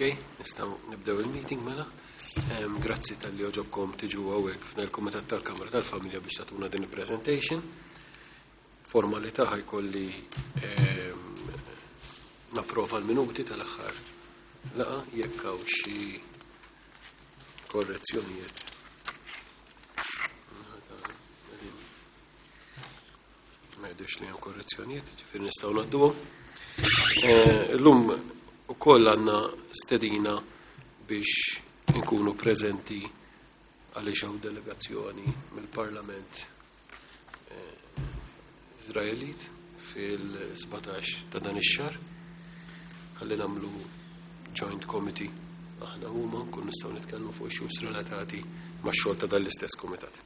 Ok, nistgħu nibdew il-meeting mela. Grazzi talli għoġobkom tiġu hawnhekk f'dan il-Kumitat tal-Kamra tal-Familja biex tagħtuna din il-presentation. Formalità ħa jkolli napprova l-minuti tal-aħħar laqgħa jekk hawn xi korrezzjonijiet. Ma jidhirx li hemm korrezzjonijiet, ġifieri nistgħu ngħadduhom. Illum ukoll għandna stedina biex inkunu preżenti għaliex hawn delegazzjoni mill-Parlament Iżraelit fil-17 ta' dan ix-xahar. Ħalli nagħmlu joint committee aħna huma nkun nistgħu nitkellmu fuq issues relatati max-xogħol ta' dan l-istess kumitat.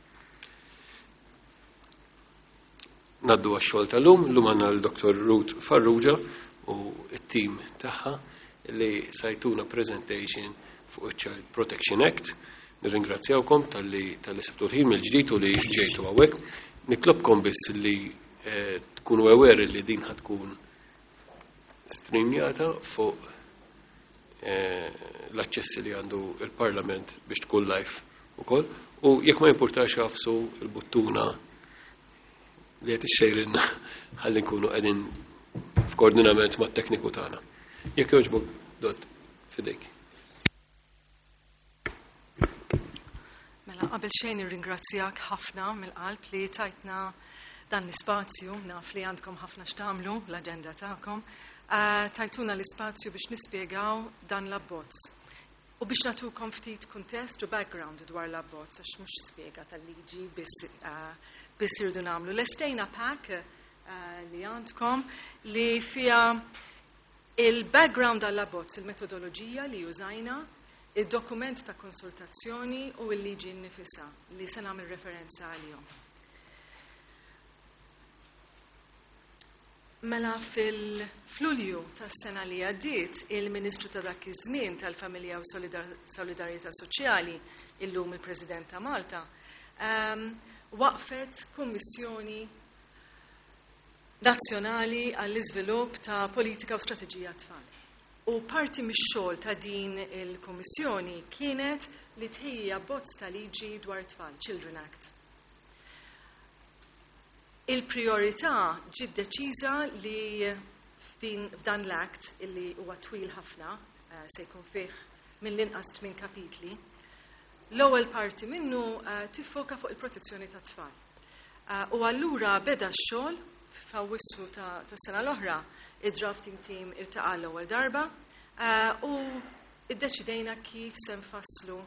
Ngħaddu għax-xogħol tal-lum, llum għandna l-Dr. Ruth Farrugia u t-tim tagħha li se jtuna presentation fuq il-Child Protection Act. Nirringrazzjawkom talli talli sibtu l-ħin mill-ġdid u li ġejtu hawnhekk. Nitlobkom biss li tkunu aware li din ħa tkun streamjata fuq l-aċċessi li għandu il-Parlament biex tkun live ukoll. U jekk ma jimpurtax agħfsu l-buttuna li qed ixxejrilna ħalli nkunu qegħdin f'koordinament mat-tekniku tagħna. Jekk jogħġbok, Dott, f'idejk. Mela, qabel xejn nirringrazzjak ħafna mill-qalb li tajtna dan l-ispazju, naf li għandkom ħafna x'tagħmlu l-aġenda tagħkom. Tajtuna l-ispazju biex nispjegaw dan l-abbozz. U biex nagħtukom ftit kuntest u background dwar l-abbozz, għax mhux spjega tal-liġi biss biss irridu nagħmlu. Lestejna pack li għandkom li fiha il-background għall-abbozz, il-metodoloġija li użajna, il-dokument ta' konsultazzjoni u l-liġi nnifisha li se nagħmel referenza għalihom. Mela fil-Lulju tas-sena li għaddiet, il-Ministru ta' dak iż-żmien tal-Familja u Solidarjetà Soċjali, illum il-President ta' Malta, waqfet kummissjoni nazzjonali għall-iżvilupp ta' politika u strateġija tfal. U parti mix-xogħol ta' din il-kummissjoni kienet li tħejji abbozz ta' liġi dwar tfal, Children Act. Il-priorità ġiet deċiża li f'din f'dan l-act illi huwa twil ħafna, se jkun fih mill-inqas tmien kapitli, l-ewwel parti minnu tiffoka fuq il-protezzjoni tat-tfal. U allura beda x-xogħol f'Awwissu tas-sena l-oħra, id-drafting team iltaqa' l-ewwel darba u iddeċidejna kif se nfasslu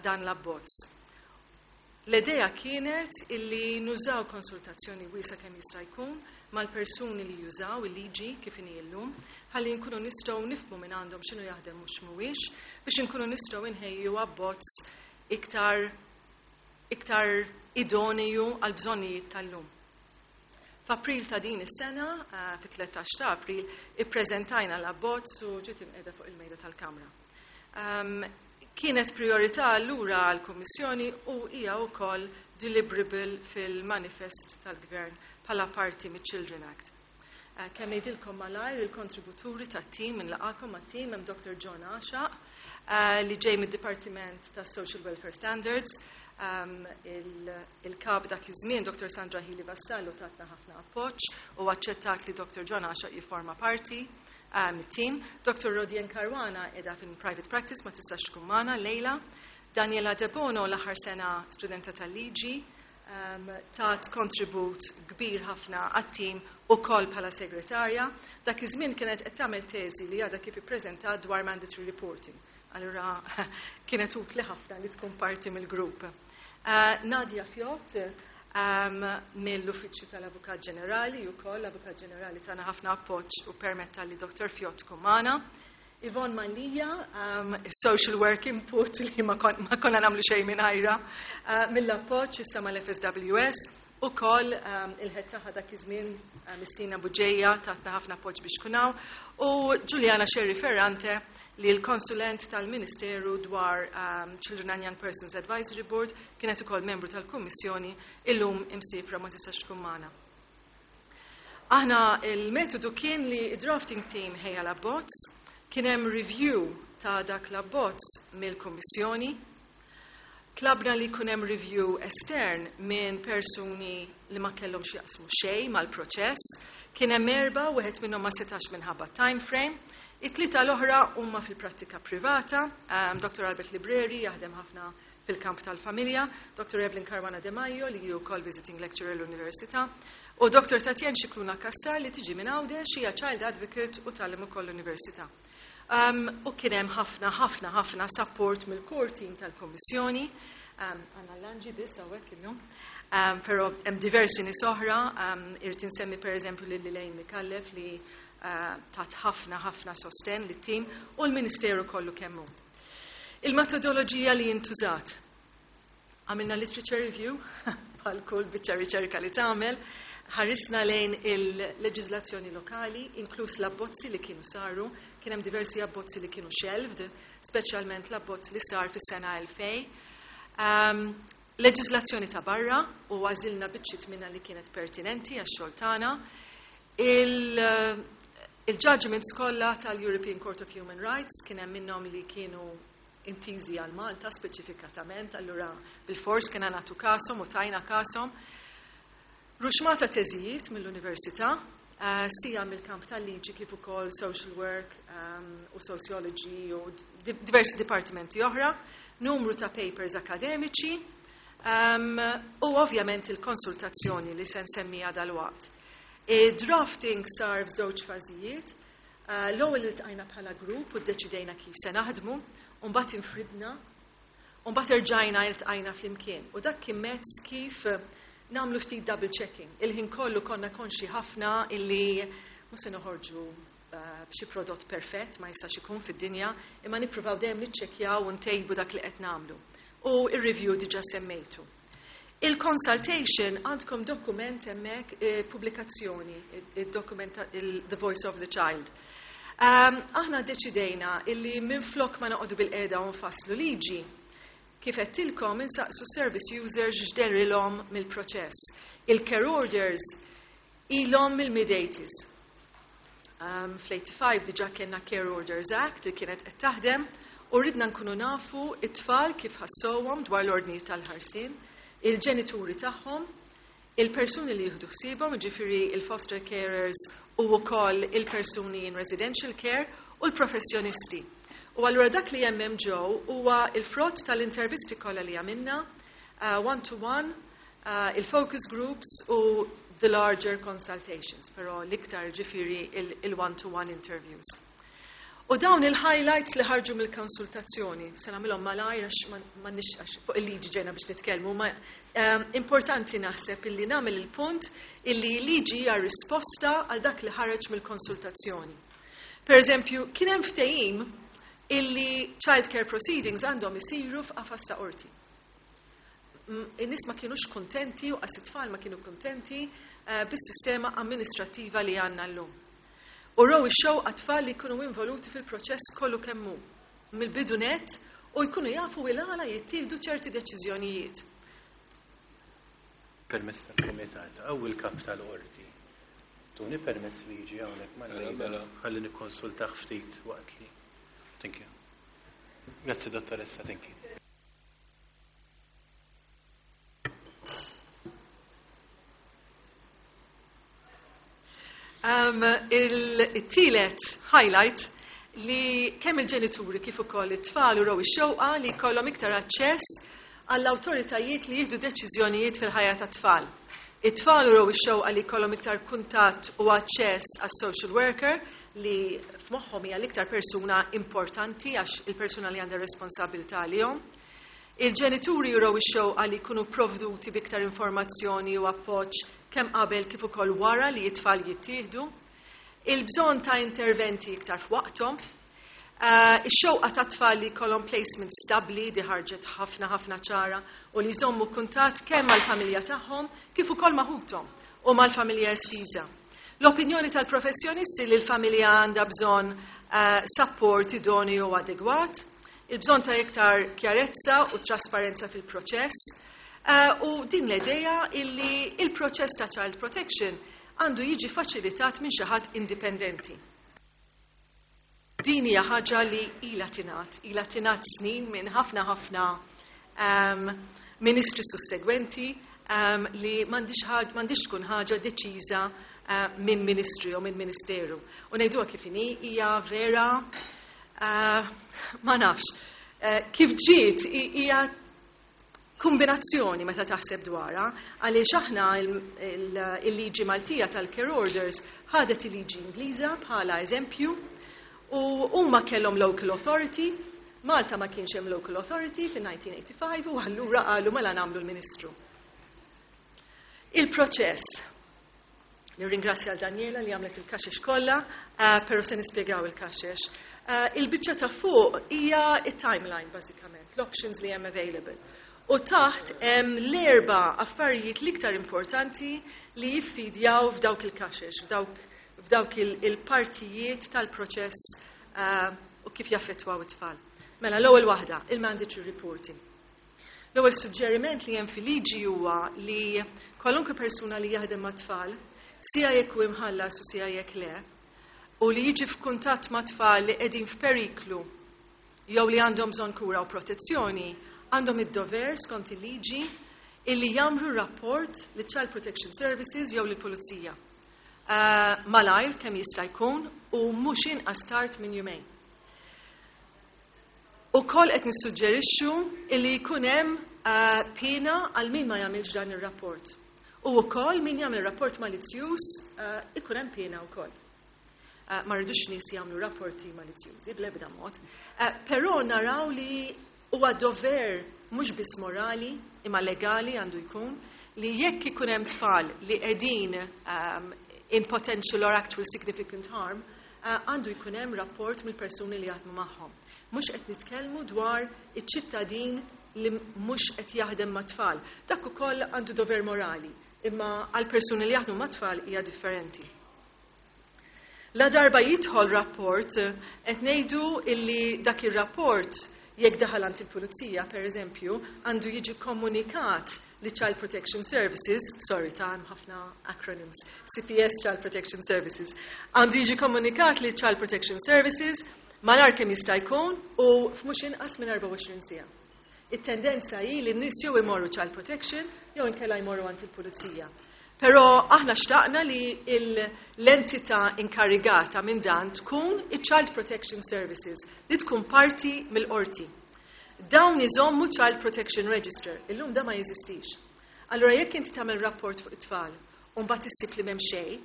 dan l-abbozz. L-idea kienet illi nużaw konsultazzjoni wiesgħa kemm jista' jkun mal-persuni li jużaw il-liġi kif inhi llum, ħalli nkunu nistgħu nifhmu minn għandhom x'inhu jaħdem u x'mhuwiex biex inkunu nistgħu nħejju abbozz iktar iktar idoneu għall-bżonnijiet tal-lum. F'April ta' din is-sena, fit-13 ta' April, ippreżentajna l-abbozz u ġiet imqiegħda fuq il-mejda tal-Kamra. Kienet priorità allura għall-Kummissjoni u hija wkoll deliverable fil-manifest tal-Gvern bħala parti miċ-Children Act. Kemm ngħidilkom malajr il-kontributuri tat-tim, inlaqakom mat-tim, hemm Dr. John Għaxaq li ġej mid-Dipartiment tas-Social Welfare Standards, il-kap dak iż-żmien Dr. Sandra Hili Vassallo tatna ħafna appoġġ u aċċettat li Dr. John Għaxaq jifforma parti mit-tim. Dr. Rodien Caruana qiegħda fin private practice ma tistax tkun magħna lejla. Daniela Debono l-aħħar sena studenta tal-liġi tat kontribut kbir ħafna għat-tim ukoll bħala segretarja. Dak iż-żmien kienet qed tagħmel teżi li għadha kif ippreżentat dwar mandatory reporting. Allura kienet utli ħafna li tkun parti mill-grupp. Nadia Fjott mill-Uffiċċju tal-Avukat Ġenerali wkoll, l-Avukat Ġenerali tana ħafna appoġġ u permetta li Dr. Fjott tkun magħna. Yvonne Mallia, social work input li ma konna nagħmlu xejn mingħajra, mill-appoġġ issa mal-FSWS, ukoll il-head tagħha dak iż-żmien Missina Buġeja tatna ħafna appoġġ biex tkun hawn, u Giuliana Scerri Ferrante li l-konsulent tal-Ministeru dwar Children and Young Persons Advisory Board kienet ukoll membru tal-Kummissjoni illum imsifra ma tistax tkun magħna. Aħna il-metodu kien li drafting team ħejja l-abbozz, kien hemm review. ta' dak l-abbozz mill-Kummissjoni. Tlabna li jkun hemm review estern minn persuni li ma kellhom x'jaqsmu xejn mal-proċess. Kien hemm erba', wieħed minnhom ma setax minħabba time frame. It-tlieta l-oħra huma fil-prattika privata. Dr. Albert Libreri jaħdem ħafna fil-kamp tal-familja, Dr. Evelyn Caruana De Maio li hi wkoll visiting lecturer l-Università, u Dr. Tatjen Scicluna Cassar li tiġi minn Għawdex, hija child advocate u tgħallem ukoll l-Università. U kien hemm ħafna, ħafna, ħafna support mill-core team tal-Kummissjoni. Għandna l-Anġi biss hawnhekk illum. Però hemm diversi nies oħra, irrid insemmi pereżempju lil Elaine Micallef li tat ħafna, ħafna sosten lit-tim u l-Ministeru kollu kemm hu. Il-metodoloġija li jintużat. Għamilna literature review, bħal kull biċċa riċerka li tagħmel, ħarisna lejn il-leġiżlazzjoni lokali, inkluż l-abbozzi li kienu saru, kien hemm diversi abbozzi li kienu shelved, speċjalment l-abbozz li sar fis-sena 2000. Leġiżlazzjoni ta' barra u għażilna biċċiet minnha li kienet pertinenti għax-xogħol tagħna. Il-judgments kollha tal-European Court of Human Rights kien hemm minnhom li kienu intiżi għal Malta speċifikatament, allura bil-fors kien nagħtu kasom u tajna kasom. Ruxmata teżijiet mill-università, sija mill-kamp tal-liġi kif ukoll social work u sociology u diversi dipartimenti oħra, numru ta' papers akademiċi, u ovvjament il-konsultazzjoni li se nsemmija dal-waqt. Drafting sar f'żewġ fażijiet. L-ewwel iltqajna bħala grupp u ddeċidejna kif se naħdmu, u mbagħad infridna, u mbagħad erġajna iltqajna flimkien. U dak kien mezz kif nagħmlu ftit double checking. Il-ħin kollu konna konxi ħafna illi mhux se noħorġu b'xi prodott perfett, ma jistax ikun fid-dinja, imma nippruvaw dejjem niċċekkjaw u ntejbu dak li qed nagħmlu. U ir-review diġà semmejtu. Il-consultation għandkom dokument hemmhekk, pubblikazzjoni, il-dokument The Voice of the Child. Aħna deċidejna illi minflok ma noqogħdu bil-qiegħda u nfasslu liġi, kif għedtilkom insaqsu service users x'derilhom mill-proċess. Il-care orders ilhom mill-mid-80s. Fl-85 diġà kellna Care Orders Act li kienet qed taħdem u ridna nkunu nafu it-tfal kif ħassowhom dwar l-ordni tal-ħarsien, il-ġenituri tagħhom, il-persuni li jieħdu ħsiebhom, jiġifieri il-foster carers u wkoll il-persuni in residential care u l-professjonisti. U allura dak li hemm ġew huwa il-frott tal-intervisti kollha li għamilna, one-to-one, il-focus groups u the larger consultations, però l-iktar ġifieri il-one-to-one interviews. U dawn il-highlights li ħarġu mill-konsultazzjoni, se nagħmilhom malajr għax m'għandniex, għax fuq il-liġi ġejna biex nitkellmu, ma importanti naħseb illi nagħmel il-punt illi liġi hija risposta għal dak li ħareġ mill-konsultazzjoni. Per eżempju, kien hemm ftehim illi child care proceedings għandhom isiru f'qafas ta' qorti. In-nies ma kienux kontenti u qas it-tfal ma kienu kontenti bis-sistema amministrattiva li għandna llum. U raw ix-xewqa tfal li jkunu involuti fil-proċess kollu kemm hu, mill-bidu net, u jkunu jafu il-għala jittieħdu ċerti deċiżjonijiet. Permess tal-Kumitat, għaw il-kap tal-qorti. Tuni permess li jiġi hawnhekk ma Mela, mela. Ħalli nikkonsultah ftit waqt li. Thank you. Grazzi, dottoressa, thank you. Il-tielet highlight li kemm il-ġenituri kif ukoll it-tfal uraw ix-xewqa li jkollhom iktar aċċess għall-awtoritajiet li jieħdu deċiżjonijiet fil-ħajja tat-tfal. It-tfal uraw ix-xewqa li jkollhom iktar kuntatt u aċċess għas-social worker li f'moħħhom hija l-iktar persuna importanti għax il-persuna li għandha responsabilità għalihom. Il-ġenituri juraw ix-xewqa li jkunu provduti b'iktar informazzjoni u appoġġ kemm qabel kif ukoll wara li t-tfal jittieħdu. Il-bżonn ta' interventi iktar f'waqthom. Ix-xewqa ta' tfal li jkollhom placement stabbli di ħarġet ħafna ħafna ċara u li jżommu kuntatt kemm mal-familja tagħhom kif ukoll ma' ħuthom u mal-familja estiża. L-opinjoni tal-professjonisti li l-familja għandha bżonn support idoneu u adegwat, il-bżonn ta' iktar kjarezza u trasparenza fil-proċess, u din l-idea illi il-proċess ta' child protection għandu jiġi faċilitat minn xi ħadd indipendenti. Din hija ħaġa li ilha tingħad, ilha tingħad snin minn ħafna ħafna ministri sussegwenti li m'għandix tkun ħaġa deċiża minn ministri u minn ministeru. U ngħiduha kif inhi, hija vera, ma nafx. Kif ġiet hija kombinazzjoni meta taħseb dwarha, għaliex aħna il-liġi Maltija tal-care orders ħadet il-liġi Ingliża bħala eżempju u huma kellhom local authority. Malta ma kienx hemm local authority fin-1985 u allura qalu mela nagħmlu l-ministru. Il-proċess. Nirringrazzja l Daniela li għamlet il-kaxex kollha, però se nispjegaw il-kaxex. Il-biċċa ta' fuq hija it-timeline bażikament, l-options li hemm available. U taħt hemm l-erba' affarijiet l-iktar importanti li jiffidjaw f'dawk il-kaxex, f'dawk il-partijiet tal-proċess u kif jaffettwaw it-tfal. Mela, l-ewwel waħda, il-mandatory reporting. L-ewwel suġġeriment li hemm fil-liġi huwa li kwalunkwe persuna li jaħdem ma' tfal, sija jekk hu imħallas u sija jekk le, u li jiġi f'kuntatt ma' tfal li qegħdin f'periklu jew li għandhom bżonn kura u protezzjoni, għandhom id-dover skont il-liġi illi jagħmlu rapport li Child Protection Services jew lill-Pulizija. Malajr kemm jista' jkun u mhux inqas tard minn jumejn. Ukoll qed nissuġġerixxu illi jkun hemm pena għal min ma jagħmilx dan ir-rapport. U wkoll min jagħmel rapport malizzjuż ikun hemm pena wkoll. Ma rridux nies jagħmlu rapporti malizzjużi bl-ebda mod, però naraw li huwa dover mhux biss morali imma legali għandu jkun li jekk ikun hemm tfal li qegħdin in potential or actual significant harm, għandu jkun hemm rapport mill-persuni li jaħdmu magħhom. Mhux qed nitkellmu dwar iċ-ċittadin li mhux qed jaħdem ma' tfal. Dak ukoll għandu dover morali, imma għal persuni li jaħdmu ma' tfal hija differenti. La darba jidħol rapport, qed ngħidu illi dak ir-rapport, jekk daħal għand il-pulizija, per eżempju, għandu jiġi komunikat li Child Protection Services, sorry ta' hemm ħafna acronyms, CPS Child Protection Services, għandu jiġi komunikat li Child Protection Services malajr kemm jista' jkun u f'mhux inqas minn 24 siegħa. It-tendenza hi li n-nies jew imorru Child Protection jew inkella jmorru għand il-pulizija. Però aħna xtaqna li l-entità inkarigata minn dan tkun il-Child Protection Services, li tkun parti mill-qorti. Dawn iżommu Child Protection Register, illum da ma jeżistix. Allura jekk inti tagħmel rapport fuq it-tfal u mbagħad issib li m'hemm xejn,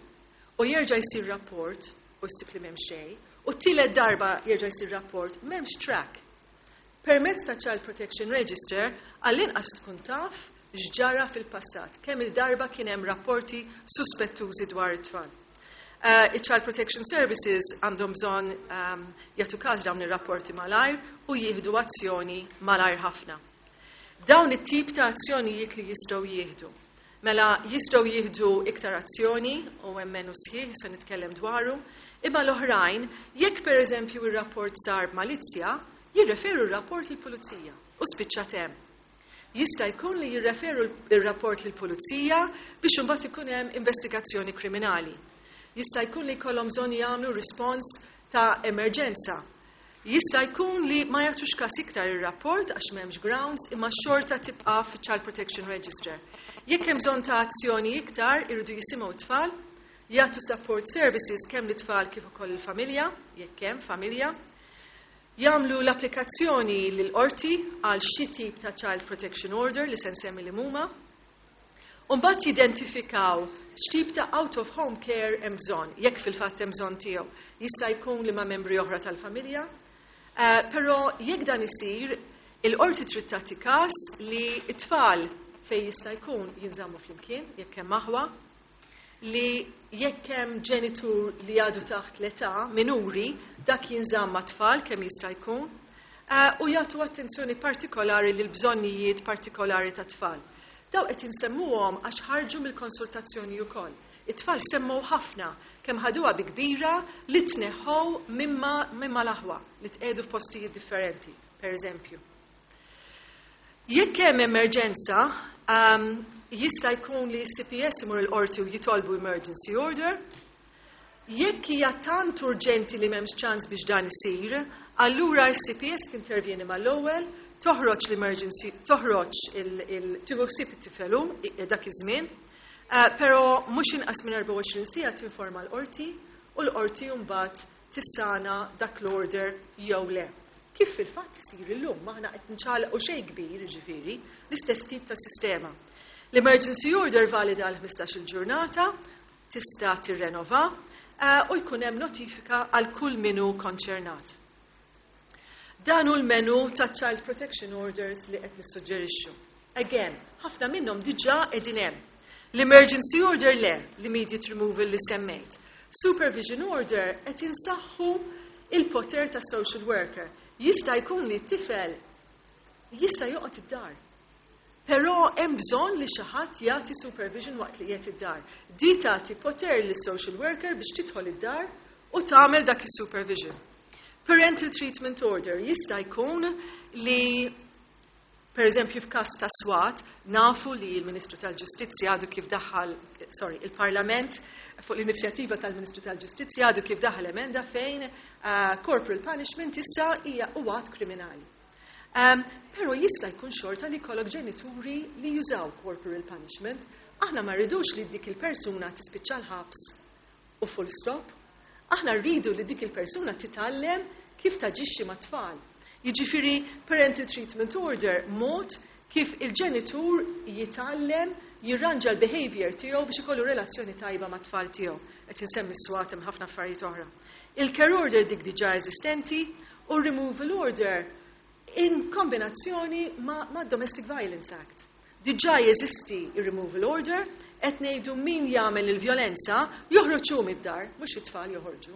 u jerġa' jsir rapport u ssib li m'hemm xejn, u t-tielet darba jerġa' jsir rapport, m'hemmx track. Permezz ta' Child Protection Register, għall-inqas tkun taf x'ġara fil-passat, kemm il-darba kien hemm rapporti suspettużi dwar it-tfal. Il-Child Protection Services għandhom bżonn jagħtu każ dawn ir-rapporti malajr u jieħdu azzjoni malajr ħafna. Dawn it-tip ta' azzjonijiet li jistgħu jieħdu. Mela jistgħu jieħdu iktar azzjoni u hemm menu sħiħ se nitkellem dwaru, imma l-oħrajn, jekk pereżempju ir-rapport sar b'malizzja, jirreferu r-rapport lill-pulizija u spiċċat hemm. Jista' jkun li jirreferu r-rapport lill-pulizija biex imbagħad ikun hemm investigazzjoni kriminali. Jista' jkun li jkollhom bżonn jagħmlu rispons ta' emerġenza. Jista' jkun li ma jagħtux każ iktar ir-rapport għax m'hemmx grounds imma xorta tibqa' fiċ-Child Protection Register. Jekk hemm bżonn ta' azzjoni iktar, irridu jisimgħu t-tfal, jagħtu support services kemm lit-tfal kif ukoll il-familja, jekk hemm familja. Jagħmlu l-applikazzjoni lill-qorti għal xi tip ta' Child Protection Order li se nsemmi li huma. U mbagħad jidentifikaw x'tip ta' out of home care hemm bżonn, jekk fil-fatt hemm bżonn tiegħu. Jista' jkun li ma' membri oħra tal-familja. Però jekk dan isir, il-qorti trid tagħti każ li t-tfal fejn jista' jkun jinżammu flimkien, jekk hemm aħwa, li jekk hemm ġenitur li għadu taħt l-età minuri, dak jinżamm ma' tfal kemm jista' jkun, u jagħtu attenzjoni partikolari lil bżonnijiet partikolari ta' tfal. Daw qed insemmuhom għax ħarġu mill-konsultazzjoni wkoll. It-tfal semmew ħafna kemm ħaduha bi kbira li tneħħow mimma l-aħwa li tqiegħdu f'postijiet differenti, per eżempju. Jekk hemm emerġenza, jista' jkun li CPS imur il-qorti u jitolbu emergency order. Jekk hija tant urġenti li m'hemmx ċans biex dan isir, allura s-CPS tintervjeni mal-ewwel, toħroġ l-emergency, toħroġ tieħu ħsieb it-tifel dak iż-żmien, però mhux inqas minn 24 siegħa tinforma l-qorti u l-qorti mbagħad tissigna dak l-order jew le. Kif fil-fatt isir illum, m'aħna qed nċaqalqu xejn kbir, ġifieri, l-istess tip ta' sistema. L-emergency order valida għal 15 il-ġurnata, tista' tirrenova u jkun hemm notifika għal kull min hu konċernat. Dan hu l-menu ta' Child Protection Orders li qed nissuġġerixxu. Again, ħafna minnhom diġà qegħdin hemm. L-emergency order le, l-immediate removal li semmejt. Supervision order qed insaħħu il-poter ta' social worker. Jista' jkun li t-tifel jista' joqgħod id-dar. Però hemm bżonn li xi ħadd jagħti supervision waqt li qiegħed id-dar. Di tagħti poter lis social worker biex tidħol id-dar u tagħmel dak is-supervision. Parental treatment order jista' jkun li, per eżempju, f'każ ta' swat, nafu li l-Ministru tal-Ġustizzja għadu kif daħal, sorry, il-Parlament fuq l-inizjattiva tal-Ministru tal-Ġustizzja għadu kif daħal emenda fejn corporal punishment issa hija att kriminali. Pero jista' jkun xorta li jkollok ġenituri li jużaw corporal punishment. Aħna ma rridux li dik il-persuna tispiċċa l-ħabs u full stop. Aħna rridu li dik il-persuna titgħallem kif taġixxi ma' tfal. Jiġifieri, parental treatment order mod kif il-ġenitur jitgħallem jirranġa l-behavior tiegħu biex ikollu relazzjoni tajba ma' tfal tiegħu. Qed insemmi swat, hemm ħafna affarijiet oħra. Il-care order dik diġà eżistenti u removal order in kombinazzjoni ma' Domestic Violence Act. Diġà jeżisti il-removal order, qed ngħidu min jagħmel il-vjolenza joħroġ mid-dar, mhux it-tfal joħorġu.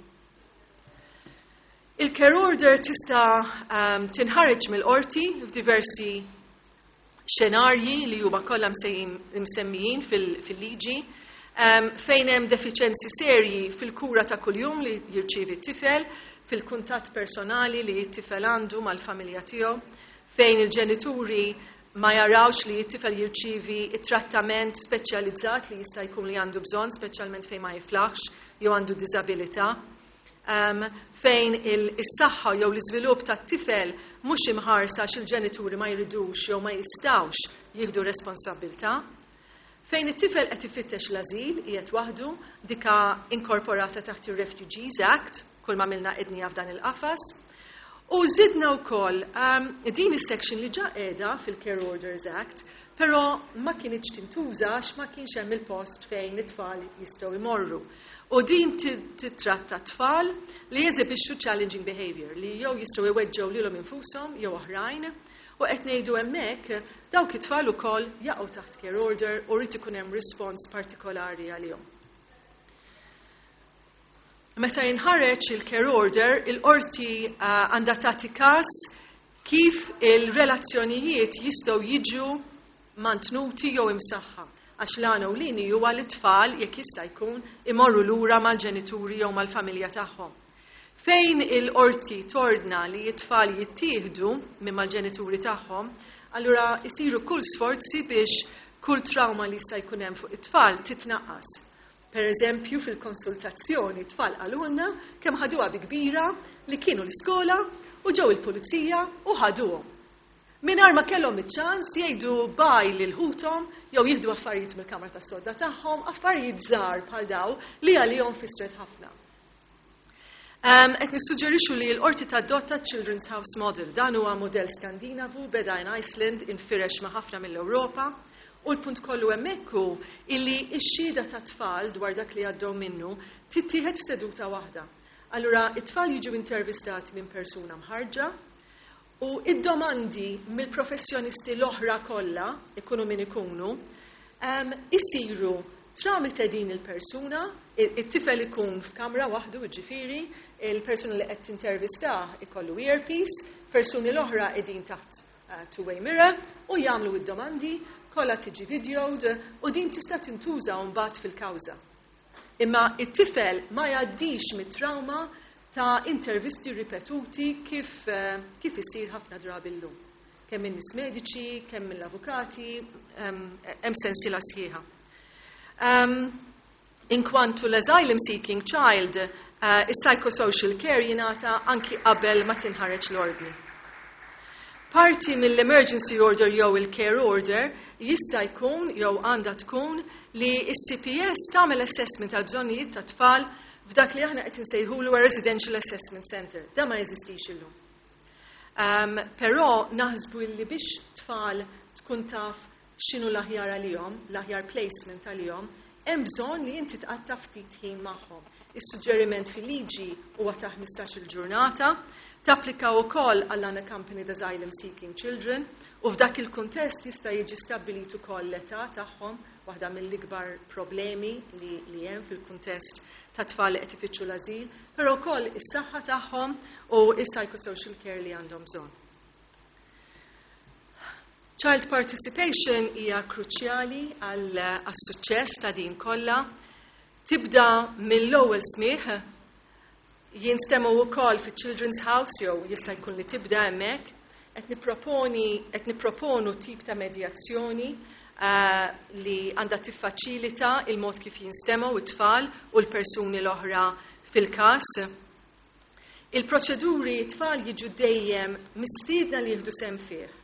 Il-care order tista' tinħareġ mill-qorti f'diversi xenarji li huma kollha msemmijin fil-liġi, fejn hemm defiċenzi serji fil-kura ta' kuljum li jirċievi t-tifel, fil-kuntatt personali li t-tifel għandu mal-familja tiegħu, fejn il-ġenituri ma jarawx li t-tifel jirċievi it-trattament speċjalizzat li jista' jkun li għandu bżonn, speċjalment fejn ma jiflaħx jew għandu diżabilità. Fejn is-saħħa jew l-iżvilupp tat-tifel mhux imħarsa għax il-ġenituri ma jridux jew ma jistgħux jieħdu responsabbiltà. Fejn it-tifel qed ifittex l-ażil qiegħed waħdu, dika inkorporata taħt ir-Refugees Act, kull ma għamilna għednieha f'dan il-qafas. U żidna wkoll din is-section li ġa qiegħda fil-Care Orders Act, però ma kinitx tintuża għax ma kienx hemm il-post fejn it-tfal jistgħu jmorru. U din titratta tfal li jeżibixxu challenging behavior, li jew jistgħu jweġġgħu lilhom infushom jew oħrajn, u qed ngħidu hemmhekk dawk it-tfal ukoll jaqgħu taħt care order u rrid ikun hemm respons partikolari għalihom. Meta jinħareġ il-care order, il-qorti għandha tagħti każ kif il-relazzjonijiet jistgħu jiġu mantnuti jew imsaħħa. Għax l-għan ewlieni huwa li tfal, jekk jista' jkun, imorru lura mal-ġenituri jew mal-familja tagħhom. Fejn il-qorti tordna li t-tfal jittieħdu minn mal-ġenituri tagħhom, allura jsiru kull sforzi biex kull trauma li jista' jkun hemm fuq it-tfal titnaqqas. Per eżempju, fil-konsultazzjoni tfal qalulna kemm ħaduha bi kbira li kienu l-iskola u ġew il-pulizija u ħaduhom. Mingħajr ma kellhom iċ-ċans jgħidu bye lil ħuthom jew jieħdu affarijiet mill-kamra tas-sodda tagħhom, affarijiet żgħar bħal daw li għalihom fisret ħafna. Qed nissuġġerixxu li l-qorti tadotta Children's House Model. Dan huwa modell Skandinavu, beda in Iceland, infirex ma' ħafna mill-Ewropa. U l-punt kollu hemmhekk hu illi x-xhieda ta' tfal dwar dak li għaddew minnu tittieħed f'seduta waħda. Allura it-tfal jiġu intervistati minn persuna mħarġa u id-domandi mill-professjonisti l-oħra kollha, ikunu min ikunu, isiru tramite din il-persuna, it-tifel ikun f'kamra waħdu, ġifieri, il-persuna li qed tintervistah ikollu earpiece, persuni l-oħra qegħdin taħt two-way mirror u jagħmlu id-domandi, kollha tiġi videoed u din tista' tintuża mbagħad fil-kawża. Imma it-tifel ma jgħaddix mit-trauma ta' intervisti ripetuti kif isir ħafna drabi llum. Kemm minn nies mediċi, kemm mill-avukati, hemm sensiela sħiħa. Inkwantu l-asylum seeking child, is-psychosocial care jingħata anki qabel ma tinħareġ l-ordni. Parti mill-emergency order jew il-care order jista' jkun jew għandha tkun li s-CPS tagħmel assessment tal-bżonnijiet ta' tfal f'dak li aħna qed insejħulu Residential Assessment Center. Da ma jeżistix illum. Però naħsbu li biex tfal tkun taf x'inhu l-aħjar għalihom, l-aħjar placement għalihom, hemm bżonn li inti tqatta' ftit ħin magħhom. Is-suġġeriment fil-liġi huwa ta' 15-il ġurnata, tapplika wkoll għall unaccompanied asylum seeking children u f'dak il-kuntest jista' jiġi stabbilit ukoll l-età tagħhom, waħda mill-ikbar problemi li hemm fil-kuntest ta' tfal li qed ifittxu l-ażil, però wkoll is-saħħa tagħhom u is-psychosocial care li għandhom bżonn. Child participation hija kruċjali għas-suċċess ta' din kollha. Tibda mill-ewwel smigħ, jinstemu wkoll fi Children's House jew jista' jkun li tibda hemmhekk. Qed nipproponu tip ta' medjazzjoni li għandha tiffaċilita il-mod kif jinstemaw it-tfal u l-persuni l-oħra fil-każ. Il-proċeduri tfal jiġu dejjem mistiedna li jieħdu sehem fih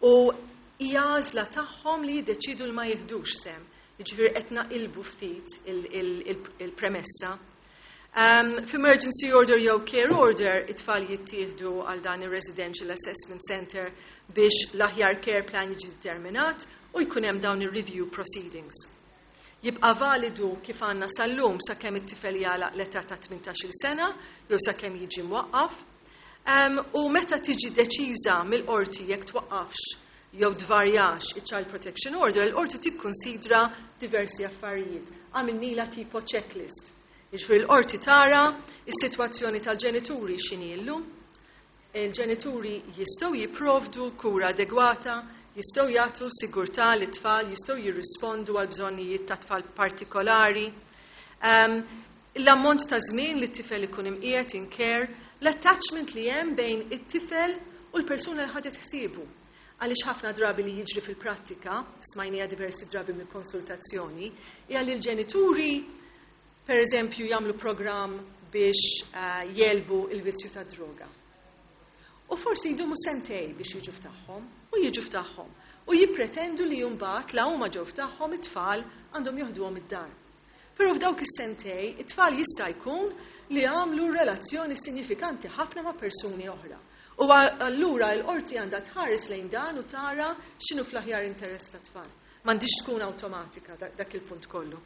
u hija għażla tagħhom li jiddeċidu li ma jieħdux sehem. Jiġifieri qed naqilbu ftit il-premessa. F'emergency order jew care order, it-tfal jittieħdu għal dan ir-Residential Assessment Center biex l-aħjar care plan jiġi determinat u jkun hemm dawn ir-review proceedings. Jibqa' validu kif għandna sal-lum sakemm it-tifel jagħlaq l-età ta' 18-il sena jew sakemm jiġi mwaqqaf. U meta tiġi deċiża mill-qorti jekk twaqqafx jew tvarjax il-Child Protection Order, il-qorti tikkonsidra diversi affarijiet. Għamilnila tipo checklist. Jiġifieri l-qorti tara is-sitwazzjoni tal-ġenituri x'inhi llum, il-ġenituri jistgħu jipprovdu kura adegwata, jistgħu jagħtu sigurtà lit-tfal, jistgħu jirrispondu għal bżonnijiet ta' tfal partikolari. L-ammont ta' żmien li t-tifel ikun imqiegħed in care, l-attachment li hemm bejn it-tifel u l-persuna li ħadet ħsiebu. Għaliex ħafna drabi li jiġri fil-prattika, smajnija diversi drabi mill-konsultazzjoni, hija li l-ġenituri, per eżempju, jagħmlu programm biex jegħlbu il-vizzju ta' droga. U forsi jdumu sentej biex jiġu f'tagħhom, u jiġu f'tagħhom. U jippretendu li mbagħad la huma ġew f'tagħhom it-tfal għandhom joħduhom id-dar. Però f'dawk is-sentej, it-tfal jista' jkun li għamlu relazzjoni sinifikanti ħafna ma' persuni oħra. U allura l-qorti għandha tħares lejn dan u tara x'inhu fl-aħjar interess ta' tfal. M'għandix tkun awtomatika dak il-punt kollu.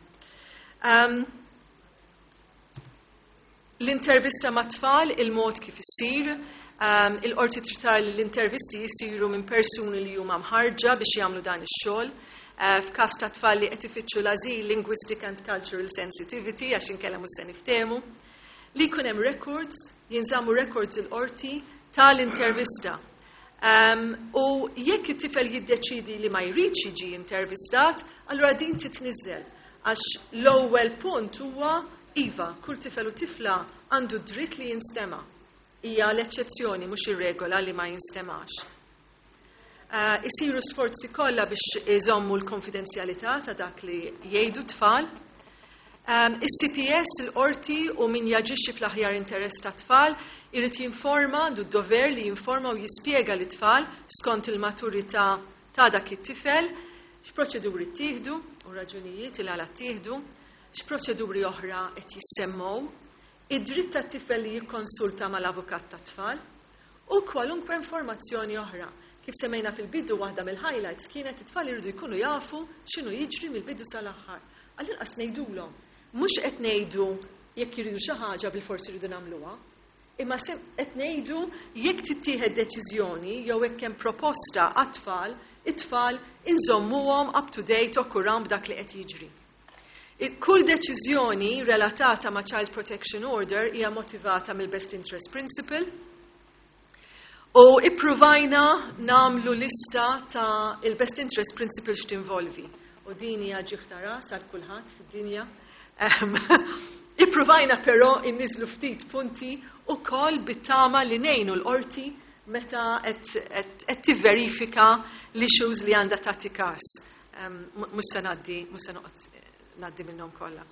L-intervista ma' tfal, il-mod kif issir, il-qorti trid tara li l-intervisti jisiru minn persuni li huma mħarġa biex jagħmlu dan ix-xogħol. F'każ ta' tfal li qed ifittxu l-ażil, linguistic and cultural sensitivity, għax inkella mhux se niftehmu. Li jkun hemm records, jinżammu records il-qorti tal-intervista. U jekk it-tifel jiddeċidi li ma jridx jiġi intervistat, allura din titniżel. Għax l-ewwel punt huwa iva, kull tifel u tifla għandu dritt li jinstema'. Hija l-eċċezzjoni mhux ir-regola li ma jinstemax. Isiru sforzi kollha biex iżommu l-konfidenzjalità ta' dak li jgħidu tfal. Is-CPS, il-qorti u min jaġixxi fl-aħjar interess ta' tfal irid jinforma, għandu d-dover li jinforma u jispjega lit-tfal skont il-maturità ta' dak it-tifel x'proċeduri ttieħdu u raġunijiet il għala ttieħdu, x'proċeduri oħra qed jissemmew, id-dritt tat-tifel li jikkonsulta mal-avukat tat-tfal u kwalunkwe informazzjoni oħra. Kif semmejna fil-bidu, waħda mill-highlights kienet it-tfal iridu jkunu jafu x'inhu jiġri mill-bidu sal-aħħar. Għall-inqas ngħidulhom, mhux qed ngħidu jekk iridu xi ħaġa bil-forsi jridu nagħmluha, imma qed ngħidu jekk tittieħed deċiżjoni jew hekk hemm proposta għat-tfal, it-tfal inżommuhom up to date u kuram b'dak li qed jiġri. Kull deċiżjoni relatata ma' Child Protection Order hija motivata mill-Best Interest Principle. U ippruvajna nagħmlu lista ta' il-Best Interest Principle x'tinvolvi. U din hija ġieħ ta' ras għal kulħadd fid-dinja. Ippruvajna però inniżlu ftit punti ukoll bit-tama li ngħinu l-qorti meta qed tivverifika l-issues li għandha tagħti każ. Mhux se ngħaddi, mhux se noqgħod ngħaddi minnhom kollha.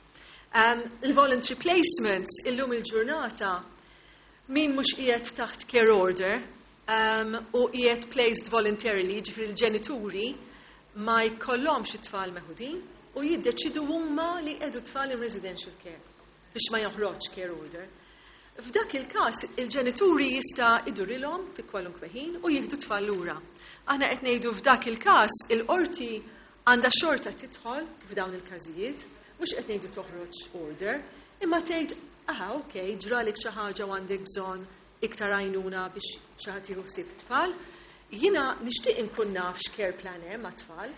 Il-voluntary placements illum il-ġurnata, min mhux qiegħed taħt care order u qiegħed placed voluntarily, ġifieri l-ġenituri ma jkollhomx it-tfal meħudin u jiddeċidu huma li jqiegħdu tfal in residential care biex ma joħroġ care order. F'dak il-każ il-ġenituri jista' idurilhom fi kwalunkwe ħin u jieħdu tfal lura. Aħna qed ngħidu f'dak il-każ il-qorti għandha xorta tidħol f'dawn il-każijiet, mhux qed ngħidu toħroġ order, imma tgħid, "Aha, ok, ġralik xi ħaġa u għandek bżonn iktar għajnuna biex xi ħadd jieħu ħsieb tfal. Jiena nixtieq inkun naf x'care plan hemm mat-tfal,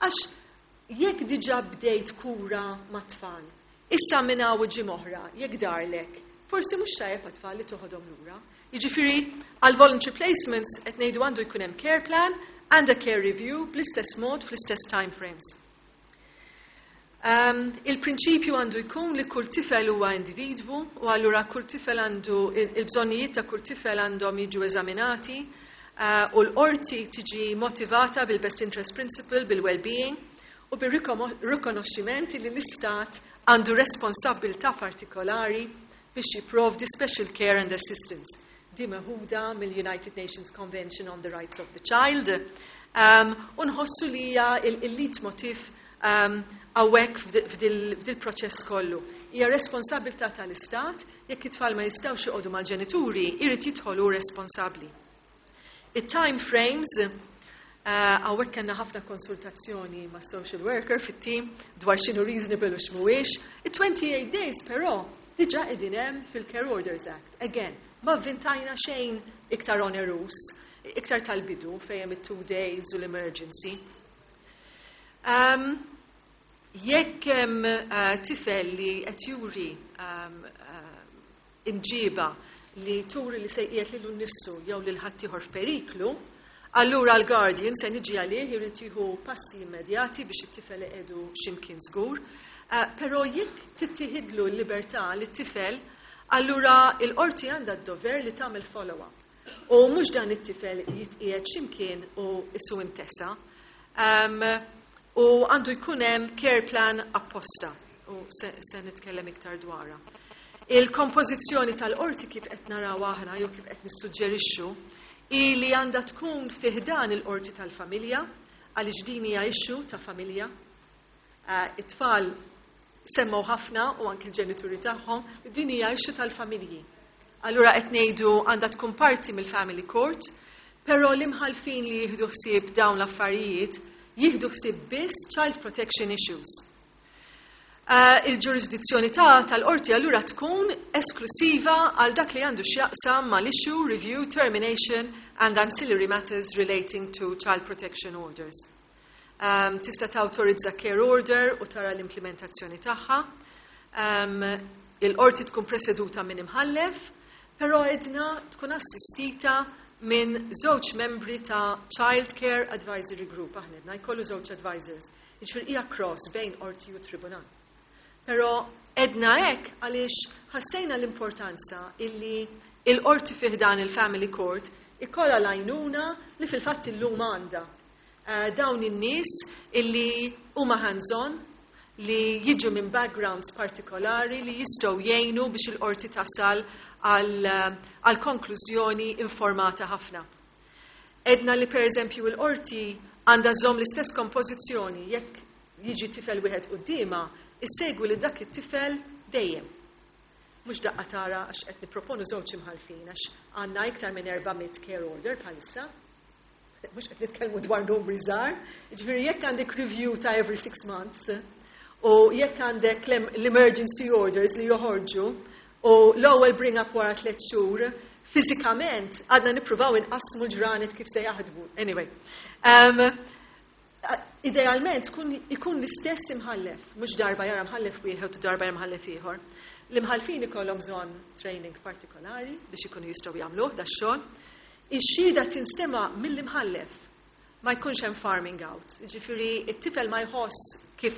għax jekk diġà bdejt kura mat-tfal, issa minn hawn ġimgħa oħra, jekk darlek, forsi mhux tajjeb għat-tfal li toħodhom lura." Jiġifieri għal voluntary placements qed ngħidu għandu jkun hemm care plan and a care review bl-istess mod, fl-istess time frames. Il-prinċipju għandu jkun li kull tifel huwa individwu u allura kull tifel għandu il-bżonnijiet ta' kull tifel għandhom jiġu eżaminati u l-qorti tiġi motivata bil-best interest principle, bil-well-being u bil-rikonoxximent li l-istat għandu responsabilità partikolari biex jipprovdi special care and assistance. Di meħuda mill-United Nations Convention on the Rights of the Child. U nħossu li hija il-leitmotif hawnhekk f'dil-proċess kollu. Hija responsabilità tal-istat, jekk it-tfal ma jistgħux joqogħdu mal-ġenituri, irid jidħolu responsabbli. Il-time frames, hawnhekk kellna ħafna konsultazzjoni ma' social worker fit-team dwar x'inhu reasonable u x'mhuwiex. Il-28 days però diġà qegħdin hemm fil-Care Orders Act. Again, ma vvintajna xejn iktar onerous, iktar tal-bidu fejn hemm it-2 days u l-emergency. Jekk hemm tifel li qed juri imġiba li turi li se jqiegħed lilu nnifsu jew lil ħaddieħor f'periklu, allura l-guardian se niġi għalih irid jieħu passi immedjati biex it-tifel iqiegħdu x'imkien żgur. Però jekk tittieħidlu l-libertà lit-tifel, allura l-qorti għandha d-dover li tagħmel follow-up. U mhux dan it-tifel jitqiegħed x'imkien u isu intesa. U għandu jkun hemm care plan apposta u se nitkellem iktar dwarha. Il-kompożizzjoni tal-qorti kif qed naraw aħna jew kif qed nissuġġerixxu hi li għandha tkun fi ħdan il-qorti tal-familja, għaliex din hija issue ta' familja. It-tfal semmew ħafna u anki l-ġenituri tagħhom, din hija issue tal-familji. Allura qed ngħidu għandha tkun parti mill-family court, però l-imħalfin li jieħdu ħsieb dawn l-affarijiet jieħdu ħsieb biss child protection issues. Il-ġurisdizzjoni tal-qorti allura tkun esklusiva għal dak li għandu x'jaqsam mal-issue, review, termination and ancillary matters relating to child protection orders. Tista' tawtorizza care order u tara l-implementazzjoni tagħha. Il-qorti tkun preseduta minn imħallef, però edna tkun assistita minn żewġ membri ta' Child Care Advisory Group. Aħna edna jkollu żewġ advisors. Jiġifieri hija cross bejn qorti u tribunal. Però edna hekk għaliex ħassejna l-importanza illi il-qorti fih dan il-family court ikolla l-għajnuna li fil-fatt illum għandha. Dawn in-nies illi huma hands-on, li jiġu minn backgrounds partikolari li jistgħu jgħinu biex il-qorti tasal għal konklużjoni informata ħafna. Edna li per eżempju il-qorti għandha żomm l-istess kompożizzjoni, jekk jiġi tifel wieħed quddiemha, issegwi li dak it-tifel dejjem. Mhux daqqa tara għax qed nipproponu żewġ imħalfin għax għandna iktar minn 400 care order bħalissa. Mhux qed nitkellmu dwar numri żgħar. Jiġifieri jekk għandek review ta' every 6 months u jekk għandek l-emergency orders li joħorġu u l-ewwel bring up wara 3 xhur, fiżikament għadna nippruvaw inqassmu l-ġranet kif se jaħdmu. Anyway. Idealment ikun l-istess imħallef, mhux darba jara mħallef wieħed u darba jara mħallef ieħor. L-imħallfin ikollhom bżonn training partikolari biex ikunu jistgħu jagħmluh dax-xogħol. Ix-xhieda tinstema' mill-imħallef, ma jkunx hemm farming out. Jiġifieri t-tifel ma jħoss kif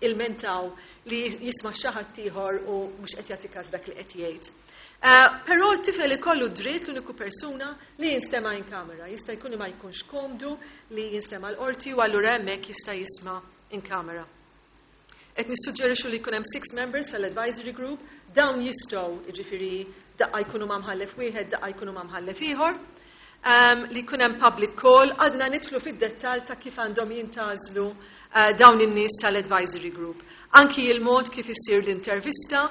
ilmentaw li jisma' xi ħadd ieħor u mhux qed jagħti każ dak li qed jgħid. Però t-tifel ikollu dritt l-uniku persuna li jinstema' in kamera. Jista' jkun li ma jkunx komdu li jinstema' l-qorti u allura hemmhekk jista' jisma' in kamera. Qed nissuġġerixxu li jkun hemm six members tal-advisory group, dawn jistgħu, jiġifieri, daqqa jkunu ma' mħallef wieħed, daqqa jkunu ma' mħallef ieħor. Li jkun hemm public call, għadna nidħlu fid-dettall ta' kif għandhom jintgħażlu dawn in-nies tal-advisory group. Anki il-mod kif issir l-intervista,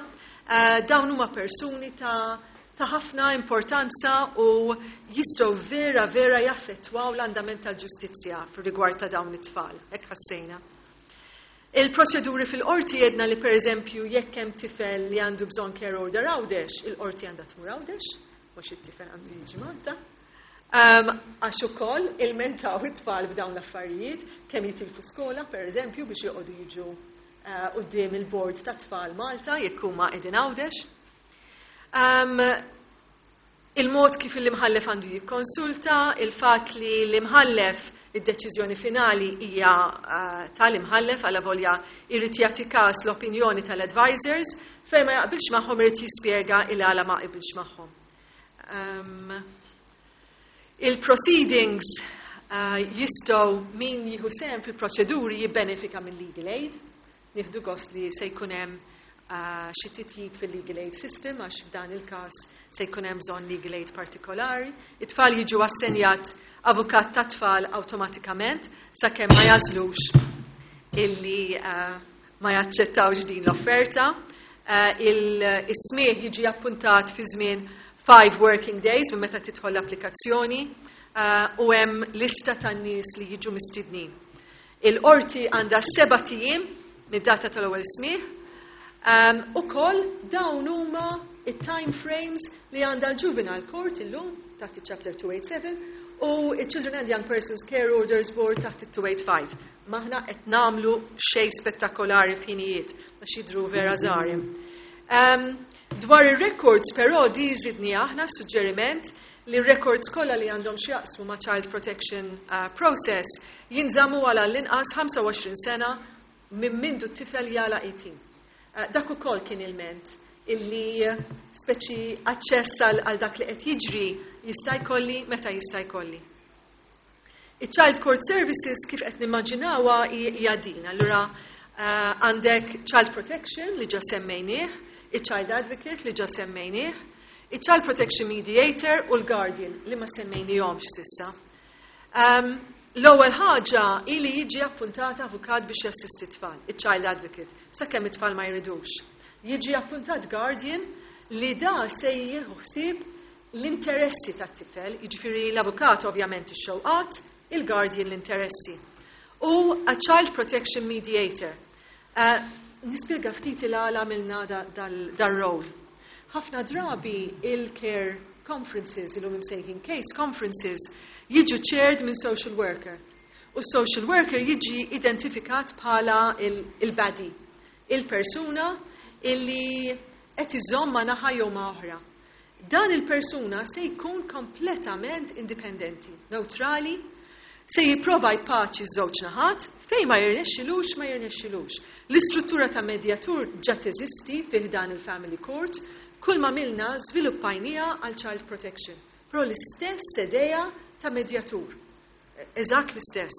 dawn huma persuni ta' ħafna importanza u jistgħu vera vera jaffettwaw l-andament tal-ġustizzja fir-rigward ta' dawn it-tfal. Hekk ħassejna. Il-proċeduri fil-qorti, jedna li, per eżempju, jekk hemm tifel li għandu bżonn care order Għawdex, il-qorti għandha tmur Għawdex, mhux it-tifel għandu jiġi Malta. Għax ukoll ilmentaw it-tfal b'dawn l-affarijiet, kemm jitilfu skola, per eżempju, biex joqogħdu jiġu quddiem il-bord ta' tfal Malta jekk huma qegħdin Għawdex. Il-mod kif l-imħallef għandu jikkonsulta, il-fat li l-imħallef, id-deċiżjoni finali hija tal-imħallef, għala volja jrid jagħti każ l-opinjoni tal-advisors, fejn ma jaqbilx magħhom irid jispjega il-għala ma jaqbilx magħhom. Il-proceedings jistgħu, min jieħu sehem fil-proċeduri jibbenefika mill legal aid. Nieħdu gost li se jkun hemm xi titjib fil-legal aid system, għax f'dan il-każ se jkun hemm bżonn legal aid partikolari. It-tfal jiġu assenjat avukat ta' tfal awtomatikament sakemm ma jagħżlux illi ma jaċċettawx din l-offerta. Il-smieħ jiġi appuntat fi żmien 5 working days minn meta tidħol l-applikazzjoni u hemm lista tan-nies li jiġu mistednin. Il-qorti għandha 7 ijiem mid-data tal-ewwel smieħ. Ukoll dawn huma it-time frames li għandha l-Juvenile Court illum taħt il-Chapter 287 u il-Children and Young Persons Care Orders Board taħt il-285. M'aħna qed nagħmlu xejn spettakolari f'ħinijiet, għax jidru vera żgħar. Dwar ir-records però, di żidni aħna suġġeriment li records kollha li għandhom x'jaqsmu ma' child protection process jinżammu għal l-inqas 25 sena minn mindu t-tifel jagħlaq 18. Dak ukoll kien ilment illi speċi aċċess għal dak li qed jiġri jista' jkolli meta jista' jkolli. Il-Child Court Services kif qed nimmaġinawha hija din. Allura għandek Child Protection li ġa semmejnieh, il-Child Advocate li ġa semmejnieh, il-Child Protection Mediator u l-Guardian li ma semmejnihomx s'issa. L-ewwel ħaġa ili jiġi appuntata avukat biex jassisti tfal, il-Child Advocate, sakemm it-tfal ma jridux. Jiġi appuntat Guardian li da se jieħu ħsieb l-interessi tat-tifel, jiġifieri l-avukat ovvjament ix-xewqat, il-guardian l-interessi. U a Child Protection Mediator. Nispjega ftit il-għala għamilna dar-role. Ħafna drabi il-care conferences, illum imsejħin case conferences, jiġu chaired minn social worker. U social worker jiġi identifikat bħala il-baddie, il-persuna illi qed iżomm ma' naħa jew ma' oħra. Dan il-persuna se jkun kompletament indipendenti, neutrali, se jipprova jpaċi żewġ naħat, fejn ma jirnexxilux, ma jirnexxilux. L-istruttura ta' medjatur ġa teżisti fih dan il-Family Court, kull ma għamilna żviluppajnieha għal Child Protection. Però l-istess idea ta' medjatur. Eżatt l-istess.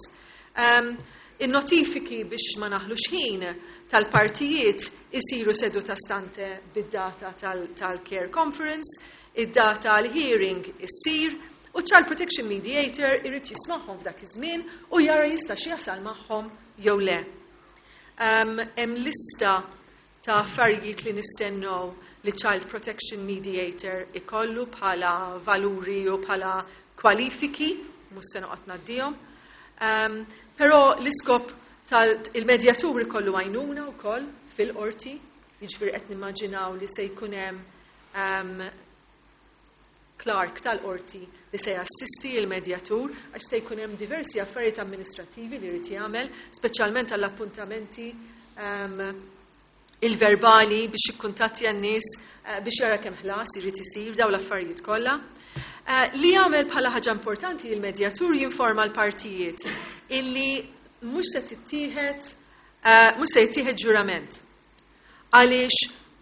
Il-notifiki, biex ma naħlux ħin, tal-partijiet isiru seduta stante bid-data tal-care conference, id-data l-hearing issir, u Child Protection Mediator irid jismagħhom f'dak iż-żmien u jara jista' jasal magħhom jew le. Hemm lista ta' affarijiet li nistennew li Child Protection Mediator ikollu bħala valuri u bħala kwalifiki, mhux se noqgħod ngħaddihom. Però l-iskop tal-medjatur ikollu għajnuna wkoll fil-qorti, jiġifieri qed nimmaġinaw li se jkun hemm clerk tal-qorti li se jassisti il-medjatur, għax se jkun hemm diversi affarijiet amministrativi li jrid jagħmel, speċjalment għall-appuntamenti, il-verbali biex jikkuntattja n-nies biex jara kemm ħlas irid isir, daw l-affarijiet kollha. Li jagħmel bħala ħaġa importanti il-medjatur, jinforma l-partijiet illi mhux se jittieħed ġurament. Għaliex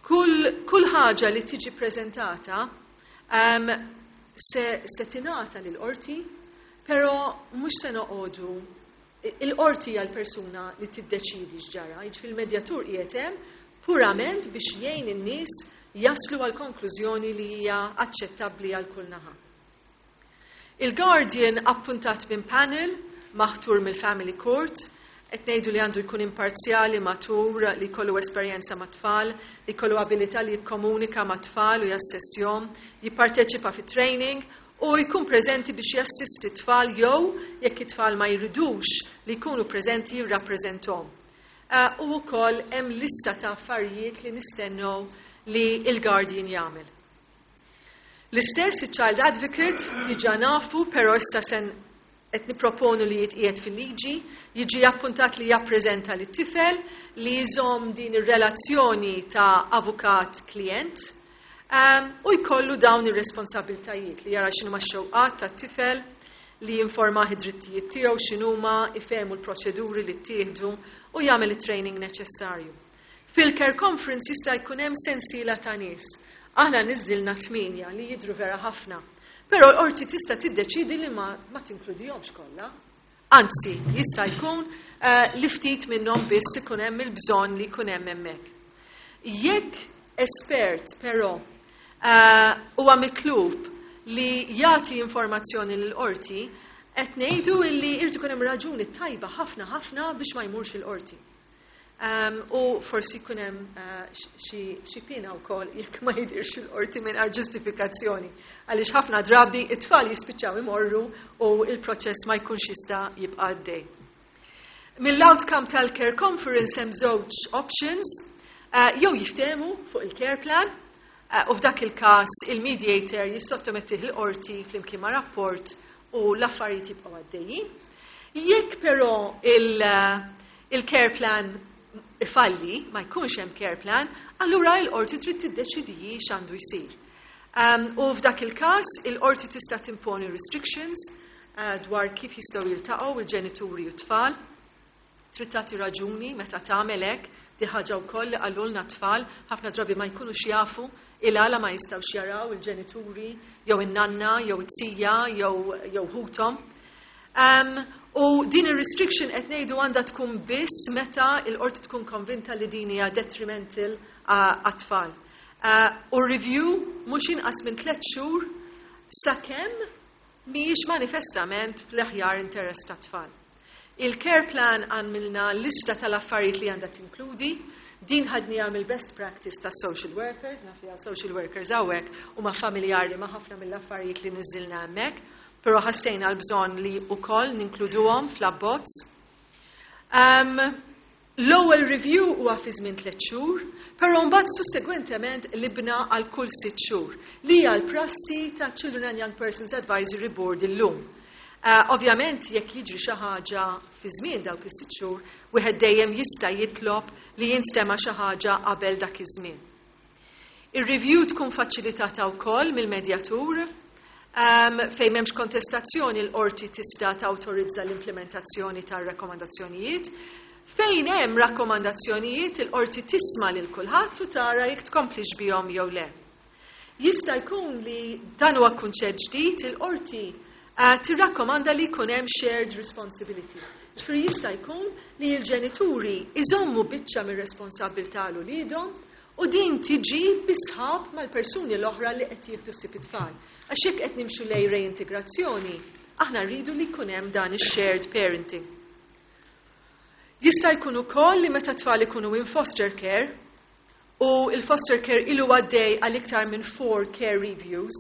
kull ħaġa li tiġi preżentata se tingħata lill-qorti, però mhux se noqogħdu. Il-qorti hija l-persuna li tiddeċidi x'ġara, jiġifieri il-medjatur qiegħed hemm purament biex jgħin in-nies jaslu għal konklużjoni li hija aċċettabbli għal kull naħa. Il-guardian appuntat minn panel maħtur mill-Family Court, qed ngħidu li għandu jkun imparzjali, matur, li jkollu esperjenza ma' tfal, li jkollu abilità li jikkomunika ma' tfal u jassessjom, jipparteċipa fi training u jkun preżenti biex jassisti tfal jew, jekk it-tfal ma jridux li jkunu preżenti, jirrappreżentom. U wkoll hemm lista ta' affarijiet li nistennew li il-guardian jagħmel. L-istess il-child advocate diġà nafu, però issa sen qed niproponu li jitqiegħed fil-liġi, jiġi appuntat li jappreżenta lit-tifel, li jżomm din ir-relazzjoni ta' avukat klient u jkollu dawn ir-responsabiltajiet li jara x'inhuma x-xewqat tat-tifel, li jinformah id-drittijiet tiegħu x'inhuma, ifehmu l-proċeduri li ttieħdu u jagħmel it-training neċessarju. Fil-care conference jista' jkun hemm sensiela ta' nies. Aħna niżżilna 8 li jidru vera ħafna. Però l-qorti tista' tiddeċidi li ma tinkludihomx kollha. Anzi, jista' jkun li ftit minnhom biss ikun hemm il-bżonn li jkun hemm hemmhekk. Jekk espert però huwa mitlub li jagħti informazzjoni lill-qorti, qed ngħidu li jrid ikun hemm raġuni tajba ħafna ħafna biex ma jmurx il-qorti. U forsi jkun hemm xi pina wkoll jekk ma jidirx il-qorti mingħajr ġustifikazzjoni. Għaliex ħafna drabi it-tfal jispiċċaw imorru u il-proċess ma jkunx jista' jibqa' għaddej. Mill-outcome tal-care conference hemm żewġ options, jew jiftehmu fuq il-care plan, u f'dak il-każ il-mediator jissottomettih il-qorti flimkien ma' rapport u l-affarijiet jibqgħu għaddejjin. Jekk però il-care plan ifalli, ma jkunx hemm care plan, allura l-qorti trid tiddeċidi x'għandu jsir. U f'dak il-każ il-qorti tista' timponi restrictions dwar kif jistgħu jiltaqgħu il-ġenituri u t-tfal. Trid tagħti raġuni meta tagħmel hekk, di ħaġa wkoll li qalulna tfal ħafna drabi ma jkunux jafu il-għala ma jistgħux jaraw il-ġenituri jew in-nanna jew it-tija jew ħuthom. U din ir-restriction qed ngħidu għandha tkun biss meta l-qorti tkun konvinta li din hija detrimental għat-tfal. U review mhux inqas minn 3 xhur sakemm mhijiex manifestament fl-aħjar interess tat-tfal. Il-care plan għamilna lista tal-affarijiet li għandha tinkludi, din ħadniha mill-best practice ta' social workers, naf li hawn social workers hawnhekk u ma familjari ma' ħafna mill-affarijiet li niżilna hemmhekk, però ħassejna l-bżonn li wkoll ninkluduhom fl-abbozz. L-ewwel review huwa fi żmien 3 xhur, però mbagħad sussegwentement libna għal kull 6 xhur, li hija l-prassi ta' Children and Young Persons Advisory Board illum. Ovvjament jekk jiġri xi ħaġa fi żmien dawk is-6 xhur, wieħed dejjem jista' jitlob li jinstema' xi ħaġa qabel dak iż-żmien. Ir-review tkun faċilitata wkoll mill-medjatur, fejn m'hemmx kontestazzjoni l-qorti tista' tawtorizza l-implementazzjoni tar-rakkomandazzjonijiet. Fejn hemm rakkomandazzjonijiet il-qorti tisma' lil kulħadd u tara jekk tkomplix bihom jew le. Jista' jkun li dan huwa kunċett ġdid, il-qorti tirrakkomanda li jkun hemm shared responsibility. Ġifieri jista' jkun li l-ġenituri iżommu biċċa mir-responsabbiltà l uliedhom u din tiġi bisħab mal-persuni l-oħra li qed jieħdu ħsieb it-tfal. Għax jekk qed nimxu lejn reintegrazzjoni, aħna rridu li jkun hemm dan ix-shared parenting. Jista' jkun ukoll li meta tfal ikunu in foster care u il-foster care ilu għaddej għal iktar minn 4 care reviews,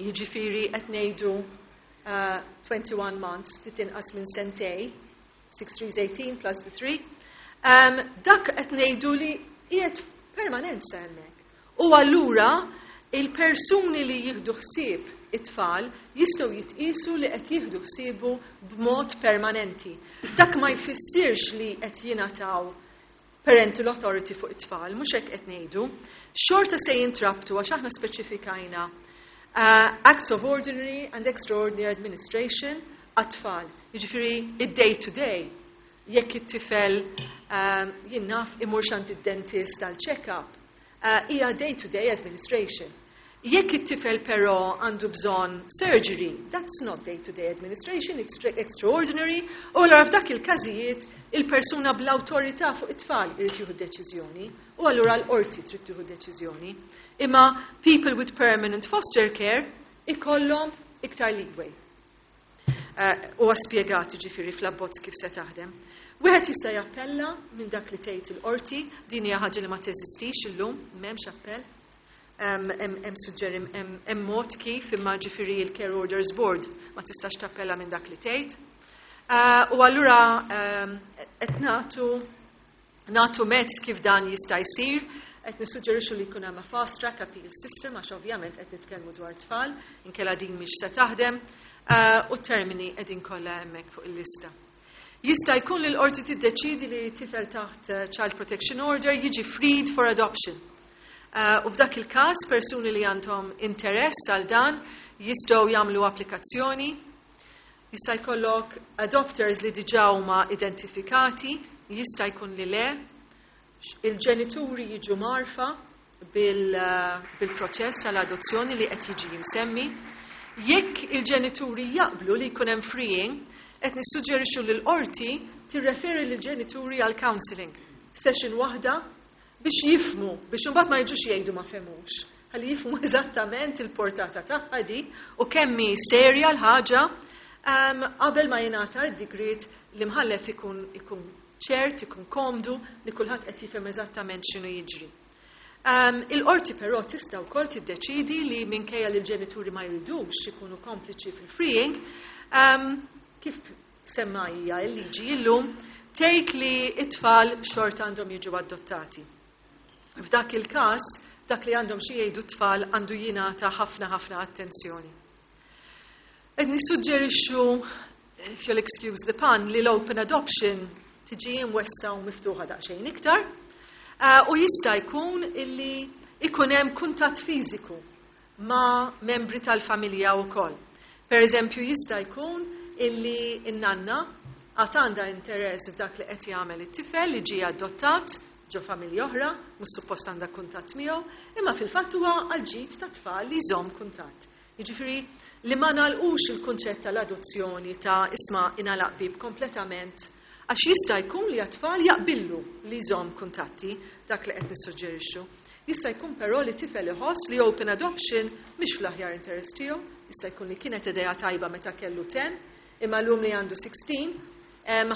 jiġifieri qed ngħidu 21 months, ftit inqas minn sentej, 6 3 18 plus the 3, dak qed ngħidu li qiegħed permanenza hemmhekk. U allura il-persuni li jieħdu ħsieb it-tfal jistgħu jitqisu li qed jieħdu ħsiebu b'mod permanenti. Dak ma jfissirx li qed jingħataw parental authority fuq it-tfal, mhux hekk qed ngħidu. Xorta se jintrabtu għax aħna speċifikajna acts of ordinary and extraordinary administration għat-tfal. Jiġifieri id-day to day, jekk it-tifel jien naf imur għand id-dentist għal check-up, hija day to day administration. Jekk it-tifel però għandu bżonn surgery, that's not day-to-day administration, it's extraordinary, u allura f'dak il-każijiet il-persuna bl-awtorità fuq it-tfal irid jieħu deċiżjoni, u allura l-qorti trid tieħu deċiżjoni. Imma people with permanent foster care ikollhom iktar leeway. U spjegat ġifieri fl-abbozz kif se taħdem. Wieħed jista' jappella minn dak li tgħid il-qorti, din hija ħaġa li ma teżistix illum, m'hemmx appell. Hemm suġġeri, hemm mod kif, imma ġifieri il-Care Orders Board ma tistax tappella minn dak li tgħid. U allura qed nagħtu mezz kif dan jista' jsir, qed nissuġġerixxu li jkun hemm a fast track appeal system, għax ovvjament qed nitkellmu dwar tfal, inkella din mhix se taħdem, u termini qegħdin kollha hemmhekk fuq il-lista. Jista' jkun li l-qorti tiddeċidi li tifel taħt Child Protection Order jiġi freed for adoption. U f'dak il-każ persuni li għandhom interess għal dan jistgħu jagħmlu applikazzjoni. Jista' jkollok adopters li diġà huma identifikati, jista' jkun li le. Il-ġenituri jiġu mgħarrfa bil-proċess tal-adozzjoni li qed jiġi jimsemmi. Jekk il-ġenituri jaqblu li jkun hemm freeing, qed nissuġġerixxu li l-qorti tirreferi lill-ġenituri għal counseling. Session waħda biex jifhmu, biex imbagħad ma jiġux jgħidu ma fehmux. Ħalli jifhmu eżattament il-portata tagħha di u kemm hi serja l-ħaġa qabel ma jingħata d-digriet li mħallef ikun ċert, ikun komdu li kulħadd qed jifhem eżattament x'inhu jiġri. Il-qorti però tista' wkoll tiddeċidi li minkejja li l-ġenituri ma jridux ikunu kompliċi fil-freeing, kif semma hija l-liġi illum, tgħid li t-tfal xorta għandhom jiġu adottati. F'dak il-każ, dak li għandhom xi jgħidu t-tfal għandu jingħata ħafna ħafna attenzjoni. Qed nissuġġerixxu, if you'll excuse the pun, li l-open adoption tiġi imwessa u miftuħa daqsxejn iktar, u jista' jkun illi ikun hemm kuntatt fiżiku ma' membri tal-familja wkoll. Per eżempju, jista' jkun illi n-nanna għad għandha interess f'dak li qed jagħmel it-tifel li ġie adottat ġo familja oħra, mhux suppost għandha kuntatt miegħu, imma fil-fatt huwa għall-ġid ta' tfal li jżomm kuntatt. Jiġifieri li ma nagħlqux il-kunċett tal-adozzjoni ta' isma' ingħalaq bib kompletament, għax jista' jkun li għat-tfal jaqbillu li jżomm kuntatti, dak li qed nissuġġerixxu. Jista' jkun però li tifel iħoss li open adoption mhix fl-aħjar interess tiegħu, jista' jkun li kienet idea tajba meta kellu 10, imma llum li għandu 16, hemm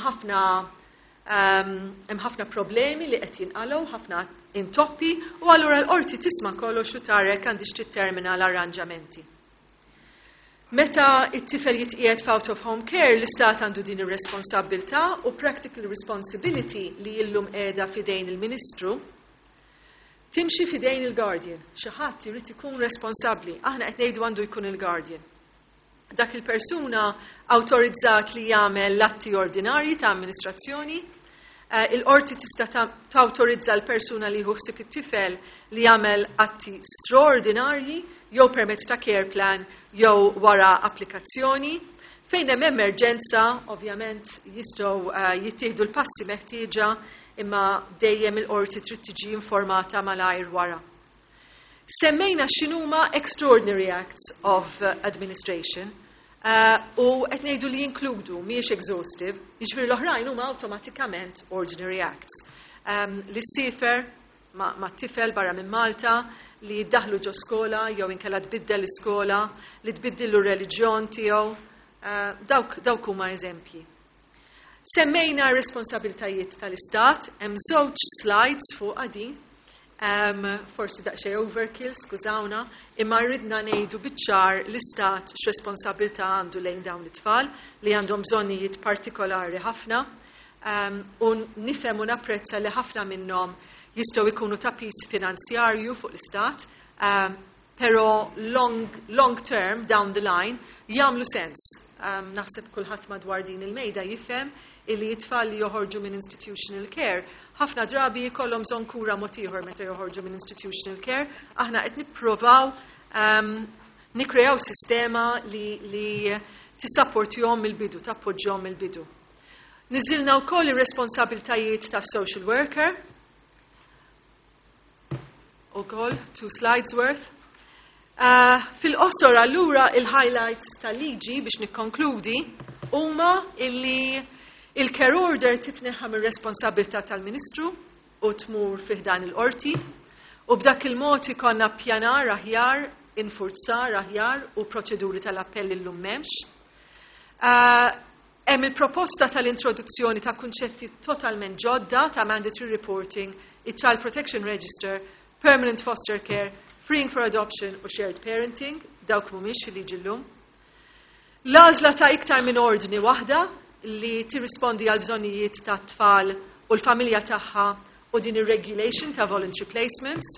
ħafna problemi li qed jinqalgħu, ħafna intoppi, u allura l-qorti tisma' kollox u tara jekk għandix tittermina l-arranġamenti. Meta it-tifel jitqiegħed f'out of home care, l-istat għandu din ir-responsabbiltà u practical responsibility li illum qiegħda fidejn il-Ministru timxi fidejn il-guardian. Xi ħadd irid ikun responsabbli. Aħna qed ngħidu għandu jkun il-guardian. Dak il-persuna awtorizzat li jagħmel l-atti ordinarji ta' amministrazzjoni. Il-qorti tista' tawtorizza l-persuna li jieħu ħsieb it-tifel li jagħmel atti straordinarji jew permezz ta' care plan jew wara applikazzjoni. Fejn hemm emerġenza, ovvjament jistgħu jittieħdu l-passi meħtieġa, imma dejjem il-qorti trid tiġi informata malajr wara. Semmejna x'inhuma extraordinary acts of administration, u qed ngħidu li jinkludu mhijiex exhaustive, jiġifieri l-oħrajn huma awtomatikament ordinary acts. Li ssiefer ma' tifel barra minn Malta, li jiddaħlu ġo skola jew inkella tbiddel l-iskola, li tbiddillu r-reliġjon tiegħu, dawk huma eżempji. Semmejna responsabiltajiet tal-Istat, hemm żewġ slides fuq din, forsi daqsxejn overkill, skużawna, imma rridna ngħidu biċ-ċar l-Istat x'responsabilità għandu lejn dawn it-tfal li għandhom bżonnijiet partikolari ħafna, u nifhem u napprezza li ħafna minnhom jistgħu jkunu ta' piż finanzjarju fuq l-Istat, però long term, down the line, jagħmlu sens. Naħseb kulħadd madwar din il-mejda jifhem illi it-tfal li joħorġu minn institutional care ħafna drabi jkollhom bżonn kura mod ieħor meta joħorġu minn institutional care. Aħna qed nippruvaw nikkreaw sistema li tissapportihom mill-bidu, tappoġġjahom mill-bidu. Niżilna wkoll ir-responsabiltajiet tas social worker. Ukoll 2 slides worth. Fil-qosor allura il-highlights tal-liġi biex nikkonkludi huma illi il-care order titneħħa mir-responsabilità tal-Ministru u tmur fi ħdan il-qorti u b'dak il-mod ikollna pjanar aħjar, infurzar aħjar u proċeduri tal-appell illum m'hemmx. Hemm il-proposta tal-introduzzjoni ta' kunċetti totalment ġodda ta' mandatory reporting, il-Child Protection Register, Permanent Foster Care, Freeing for Adoption u Shared Parenting, dawk mhumiex fil-liġi llum. L-għażla ta' iktar minn ordni waħda li tirrispondi għal bżonnijiet ta' tfal u l-familja tagħha u din ir-regulation ta' voluntary placements.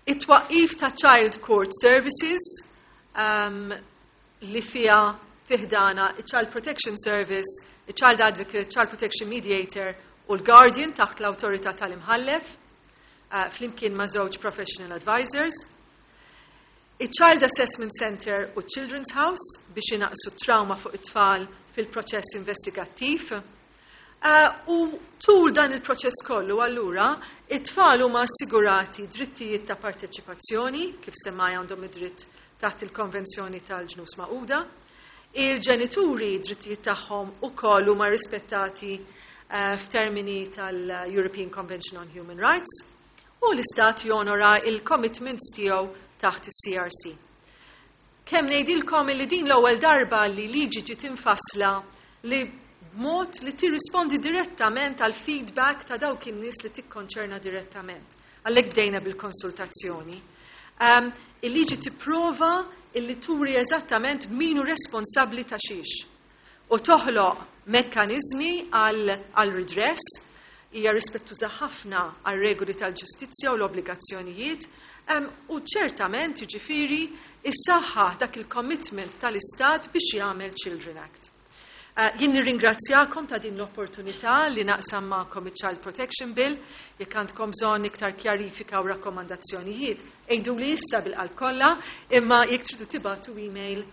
It-twaqqif ta' Child Court Services li fiha fi ħdanha il-Child Protection Service, il-Child Advocate, Child Protection Mediator u l-Guardian taħt l-awtorità tal-imħallef, flimkien ma' żewġ professional advisors. Il-Child Assessment Center u Children's House biex inaqsu trauma fuq it-tfal fil-proċess investigattiv. U tul dan il-proċess kollu allura, it-tfal huma assigurati drittijiet ta' parteċipazzjoni, kif semmaj għandhom id-dritt taħt il-Konvenzjoni tal-Ġnus Magħquda. Il-ġenituri drittijiet tagħhom ukoll huma rispettati f'termini tal-European Convention on Human Rights u l-Istat jonora il-commitments tiegħu taħt is-CRC. Kemm ngħidilkom li din l-ewwel darba li liġi ġiet infassla li b'mod li tirrispondi direttament għal feedback ta' dawk in-nies li tikkonċerna direttament. Għalhekk bdejna bil-konsultazzjoni. Il-liġi tipprova illi turi eżattament min hu responsabbli ta' xiex u toħloq mekkaniżmi għal redress, hija rispettuża ħafna għal regoli tal-ġustizzja u l-obbligazzjonijiet u ċertament jiġifieri issaħħaħ dak il-commitment tal-Istat biex jagħmel Children Act. Jien nirringrazzjakom ta' din l-opportunità li naqsam magħkom il-Child Protection Bill. Jekk għandkom bżonn iktar kjarifika u rakkomandazzjonijiet, għidu li issa bil-qalb kollha, imma jekk tridu tibagħtu email,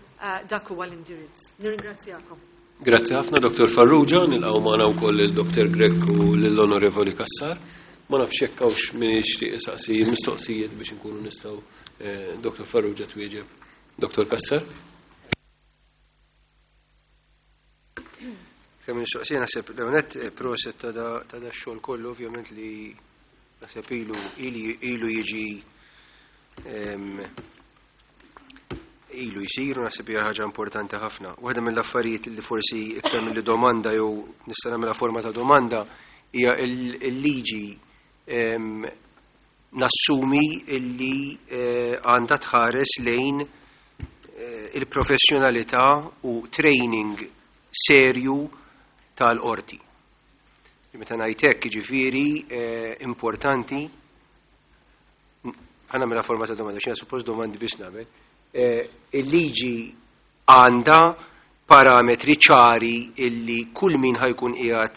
dak huwa l-indirizz. Nirringrazzjakom. Grazzi ħafna, Dr. Farrugia, nilqgħu magħna wkoll il-Dr. Grech u lill-Onorevoli Cassar. Ma nafx jekk hawnx min jixtieq isaqsi mistoqsijiet biex inkunu nistgħu Dr. Farrugia twieġeb. Dr. Cassar? Kemm mistoqsija naħseb Leonet, proset ta' da xogħol kollu, ovvjament li naħseb ilu jiġi ilu jsir u naħseb hija ħaġa importanti ħafna. Waħda mill-affarijiet li forsi iktar mill domanda jew nista' nagħmilha forma ta' domanda hija il-liġi nassumi illi għandha tħares lejn il-professjonalità u training serju tal-qorti. Meta ngħid hekk jiġifieri importanti ħa nagħmilha forma ta' domanda, x'jiena suppost domandi biex nagħmel. Il-liġi għandha parametri ċari illi kull min ħa jkun qiegħed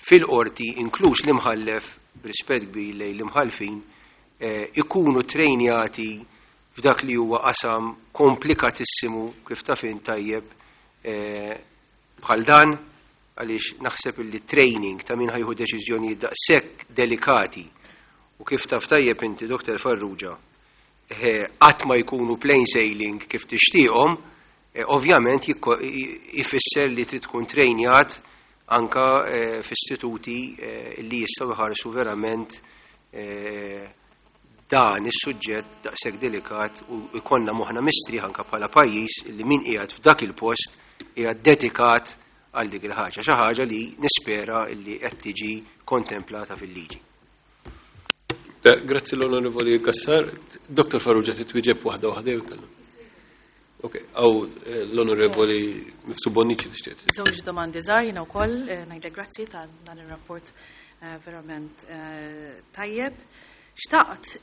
fil-qorti, inkluż l-imħallef, b'rispett kbir lejn l-imħallfin, ikunu trejnjati f'dak li huwa qasam komplikatissimu kif taf int tajjeb bħal dan, għaliex naħseb illi training ta' min ħa jieħu deċiżjonijiet daqshekk delikati u kif taf tajjeb inti, Dr. Farrugia, qatt ma jkunu plain sailing kif tixtieqhom, ovvjament ifisser li trid tkun trejnjat anka f'istituti li jistgħu jħarsu verament dan is-suġġett daqshekk delikat u jkollna moħħna mistrieħ anka bħala pajjiż li min qiegħed f'dak il-post qiegħed dedikat għal dik il-ħaġa, xi ħaġa li nispera li qed tiġi kontemplata fil-liġi. Grazzi l-Onorevoli Cassar. Dr. Farrugia titwieġeb waħda waħda jew kellha? Ok, għaw l-Onorevoli Mifsud Bonnici tixtieq. Żewġ domandi żgħar jiena wkoll ngħidlek grazzi ta' dan ir-rapport verament tajjeb. Xtaqt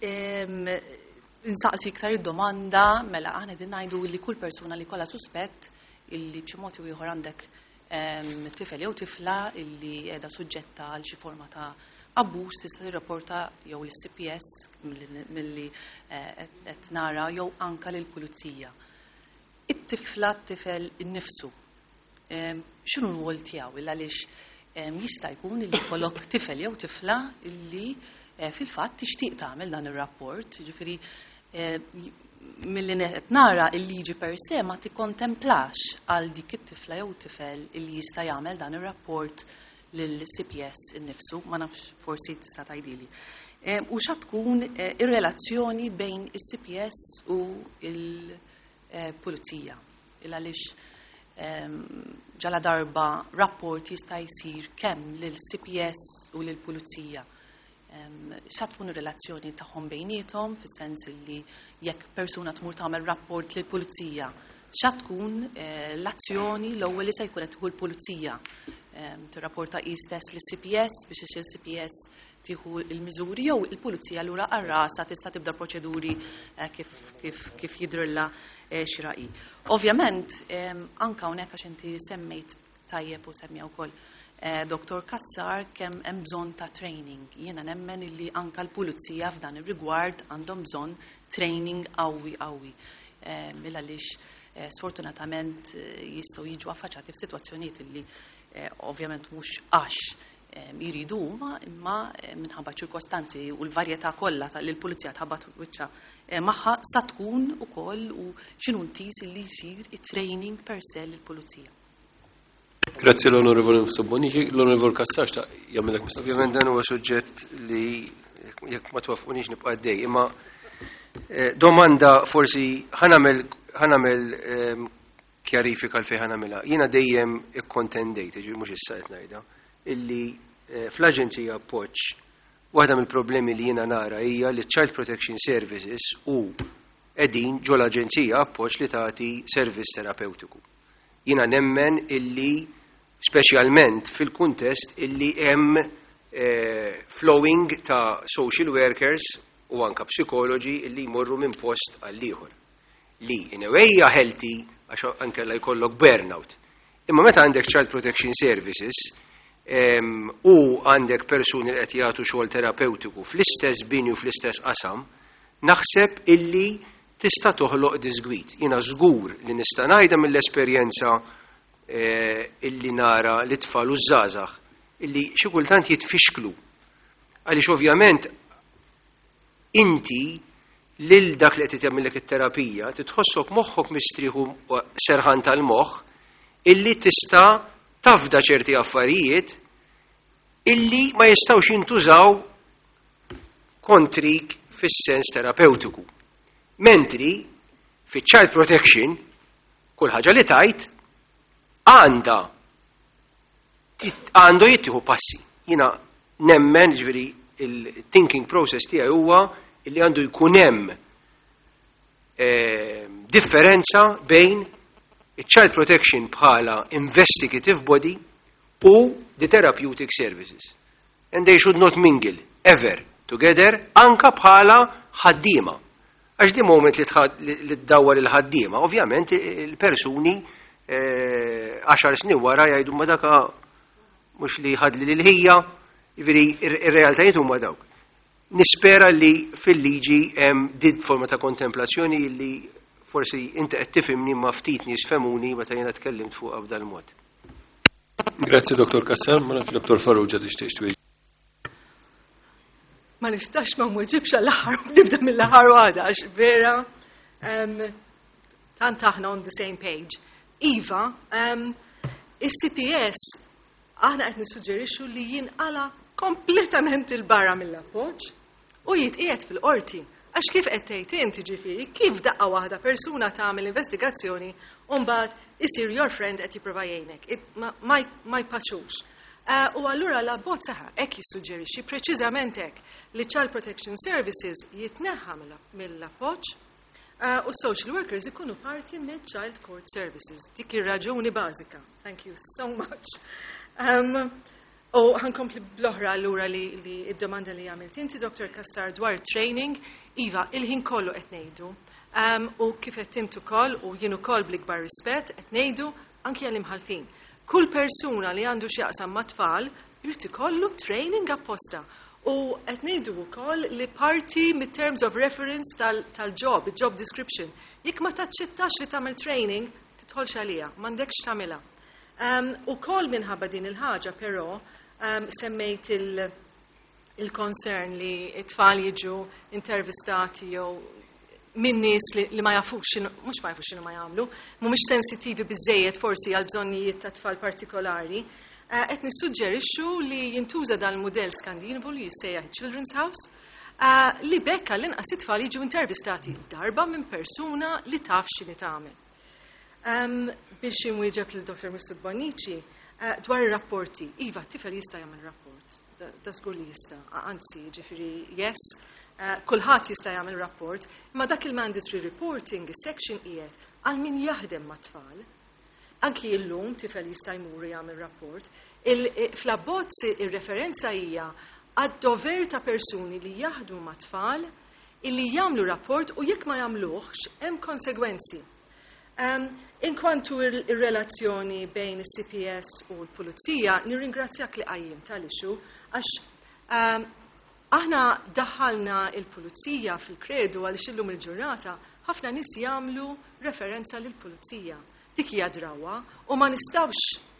insaqsi iktar id-domanda mela aħna qegħdin ngħidu li kull persuna li kollha suspett illi b'xi mod jew ieħor għandek tifel jew tifla illi qiegħda suġġetta għal xi forma ta' abbuż tista' tirrapporta jew lis-CPS milli qed nara jew anka lill-pulizija. It-tifla t-tifel innifsu x'inhu r-rwol tiegħu illa għaliex jista' jkun illi jkollok tifel jew tifla illi fil-fatt tixtieq tagħmel dan ir-rapport, jiġifieri Milli qed nara, il-liġi per se ma tikkontemplax għal dik it-tifla jew tifel li jista' jagħmel dan ir-rapport lill-CPS innifsu, ma nafx, forsi tista' tgħidili. U xa tkun ir-relazzjoni bejn is-CPS u il-pulizija? Il għaliex ġala darba rapport jista' jsir kemm lill-CPS u lill-pulizija, xa tkun ir-relazzjoni tagħhom bejniethom, fis-sens li jekk persuna tmur tagħmel rapport lill-pulizija, xa tkun l-azzjoni l-ewwel li se jkun qed tieħu l-pulizija? Tirrapporta hi stess lis-CPS biex il-CPS tieħu il-miżuri, jew il-pulizija lura għar-rasa tista' tibda proċeduri kif jidrilla xieraq? Ovvjament, anka hawnhekk, għax inti semmejt tajjeb u semmija wkoll Dr. Kassar kemm hemm bżonn ta' training. Jiena nemmen illi anka l-pulizija f'dan ir-rigward għandhom bżonn training qawwi qawwi. Mela għaliex sfortunatament jistgħu jiġu affaċċati f'sitwazzjonijiet illi ovvjament mhux għax jiridu huma, imma minħabba ċirkostanzi u l-varjetà kollha li l-pulizija tħabbat wiċċha magħha, sa tkun ukoll u x'inhu intiż li jsir it-training per se lill-pulizija. Grazzi l-Onorevole Bonnici. L-Onorevole Kassar ta' jagħmilek mistoqsija. Ovvjament dan huwa suġġett li jekk ma twafqunix nibqa' għaddej, imma domanda forsi ħa nagħmel kjarifika l fejn ħa nagħmilha. Jiena dejjem ikkontendejt, ġifieri mhux issa qed ngħidha, illi fl-Aġenzija Appoġġ waħda mill-problemi li jiena nara hija li Child Protection Services u qegħdin ġo l-Aġenzija Appoġġ li tagħti servizz terapeutiku. Jiena nemmen illi speċjalment fil-kuntest illi hemm flowing ta' social workers u anka psikoloġi illi jmorru minn post għall ieħor. Li in a way hija healthy, għax anke la jkollok burnout. Imma meta għandek Child Protection Services u għandek persuni li qed jagħtu xogħol terapeutiku fl-istess bini u fl-istess qasam, naħseb illi tista' toħloq disgwit. Jiena żgur li nista' ngħidha mill-esperjenza illi nara li tfal u żgħażagħ illi xi kultant jitfixklu. Għaliex ovvjament inti lil dak li qed jagħmellek it-terapija titħossok moħħok mistrieħu, serħan tal-moħħ, illi tista' tafda ċerti affarijiet illi ma jistgħux jintużaw kontrik fis-sens terapeutiku. Mentri fi child protection kull ħaġa li tajt għandu jittieħu passi. Jiena nemmen, ġifieri il-thinking process tiegħi huwa illi għandu jkun hemm differenza bejn il-child protection bħala investigative body u the therapeutic services. And they should not mingle ever together, anka bħala ħaddiema. Għax di moment li tdawwar il-ħaddiema, ovvjament il-persuni 10 snin wara jgħidu, "Ma daka mhux li ħadli lil ħija," jiġifieri ir-realtajiet huma dawk. Nispera li fil-liġi hemm din forma ta' kontemplazzjoni li forsi inti qed tifhimni, ma ftit nies fehmuni meta jiena tkellimt fuq b'dal mod. Grazzi, Dr. Kassar, ma nafx Dr. Farrugia tixtieq twieġeb. Ma nistax ma nweġibx għall-aħħar, nibda mill-aħħar waħda, għax vera tant aħna on the same page. Iva, is-CPS aħna qed nissuġġerixxu li jinqala kompletament il-barra mill-appoġġ u jitqiegħed fil-qorti. Għax kif qed tgħid inti, ġifieri, kif daqqa waħda persuna tagħmel investigazzjoni u mbagħad isir your friend, qed jipprova jgħinek? Ma jpaċux. U allura l-abbozz saħa hekk jissuġġerixxi, preċiżament hekk, li Child Protection Services jitneħħa mill-appoġġ u social workers ikunu parti mill Child Court Services. Dik ir-raġuni bażika. Thank you so much. U ħa nkompli bl-oħra allura li id-domanda li għamilt inti, Dr. Kassar, dwar training, Iva, il-ħin kollu qed ngħidu. U kif qed intu ukoll u jien ukoll bl-ikbar rispett qed ngħidu anki għall-imħalfin. Kull persuna li għandu x'jaqsam ma' tfal jrid ikollu training apposta. U qed ngħidu wkoll li parti mit-terms of reference tal-job, job description. Jekk ma taċċettax li tagħmel training, tidħolx għalija, m'għandekx tagħmilha. Ukoll minħabba din il-ħaġa, però, semmejt il-concern li it-tfal jiġu intervistati jew minn nies li ma jafux x'inhu, mhux ma jafux x'inhu ma jagħmlu, mhumiex sensittivi biżejjed forsi għal bżonnijiet ta' tfal partikolari. Qed nissuġġerixxu li jintuża dan il-mudell Skandinavu li jissejjaħ Children's House, li bekk għall-inqas it-tfal jiġu intervistati darba minn persuna li taf x'inhi tagħmel. Biex inwieġeb lil Dr. Mifsud Bonnici dwar ir-rapporti. Iva, t-tifel jista' jagħmel rapport. Da żgur li jista', anzi, ġifieri yes, kulħadd jista' jagħmel rapport, imma dak il-mandatory reporting, is-section qiegħed għal min jaħdem mat-tfal. Anki illum tifel jista' jmur jagħmel rapport. Fl-abbozz ir-referenza hija għad-dover ta' persuni li jaħdmu mat-tfal illi jagħmlu rapport u jekk ma jagħmluhx hemm konsegwenzi. Inkwantu ir-relazzjoni bejn is-CPS u l-Pulizija, nirringrazzjak li qajjim tal-issue għax aħna daħħalna il-Pulizija fil-kredu għaliex illum il-ġurnata ħafna nies jagħmlu referenza lill-Pulizija. Dik hija drawa u ma nistgħux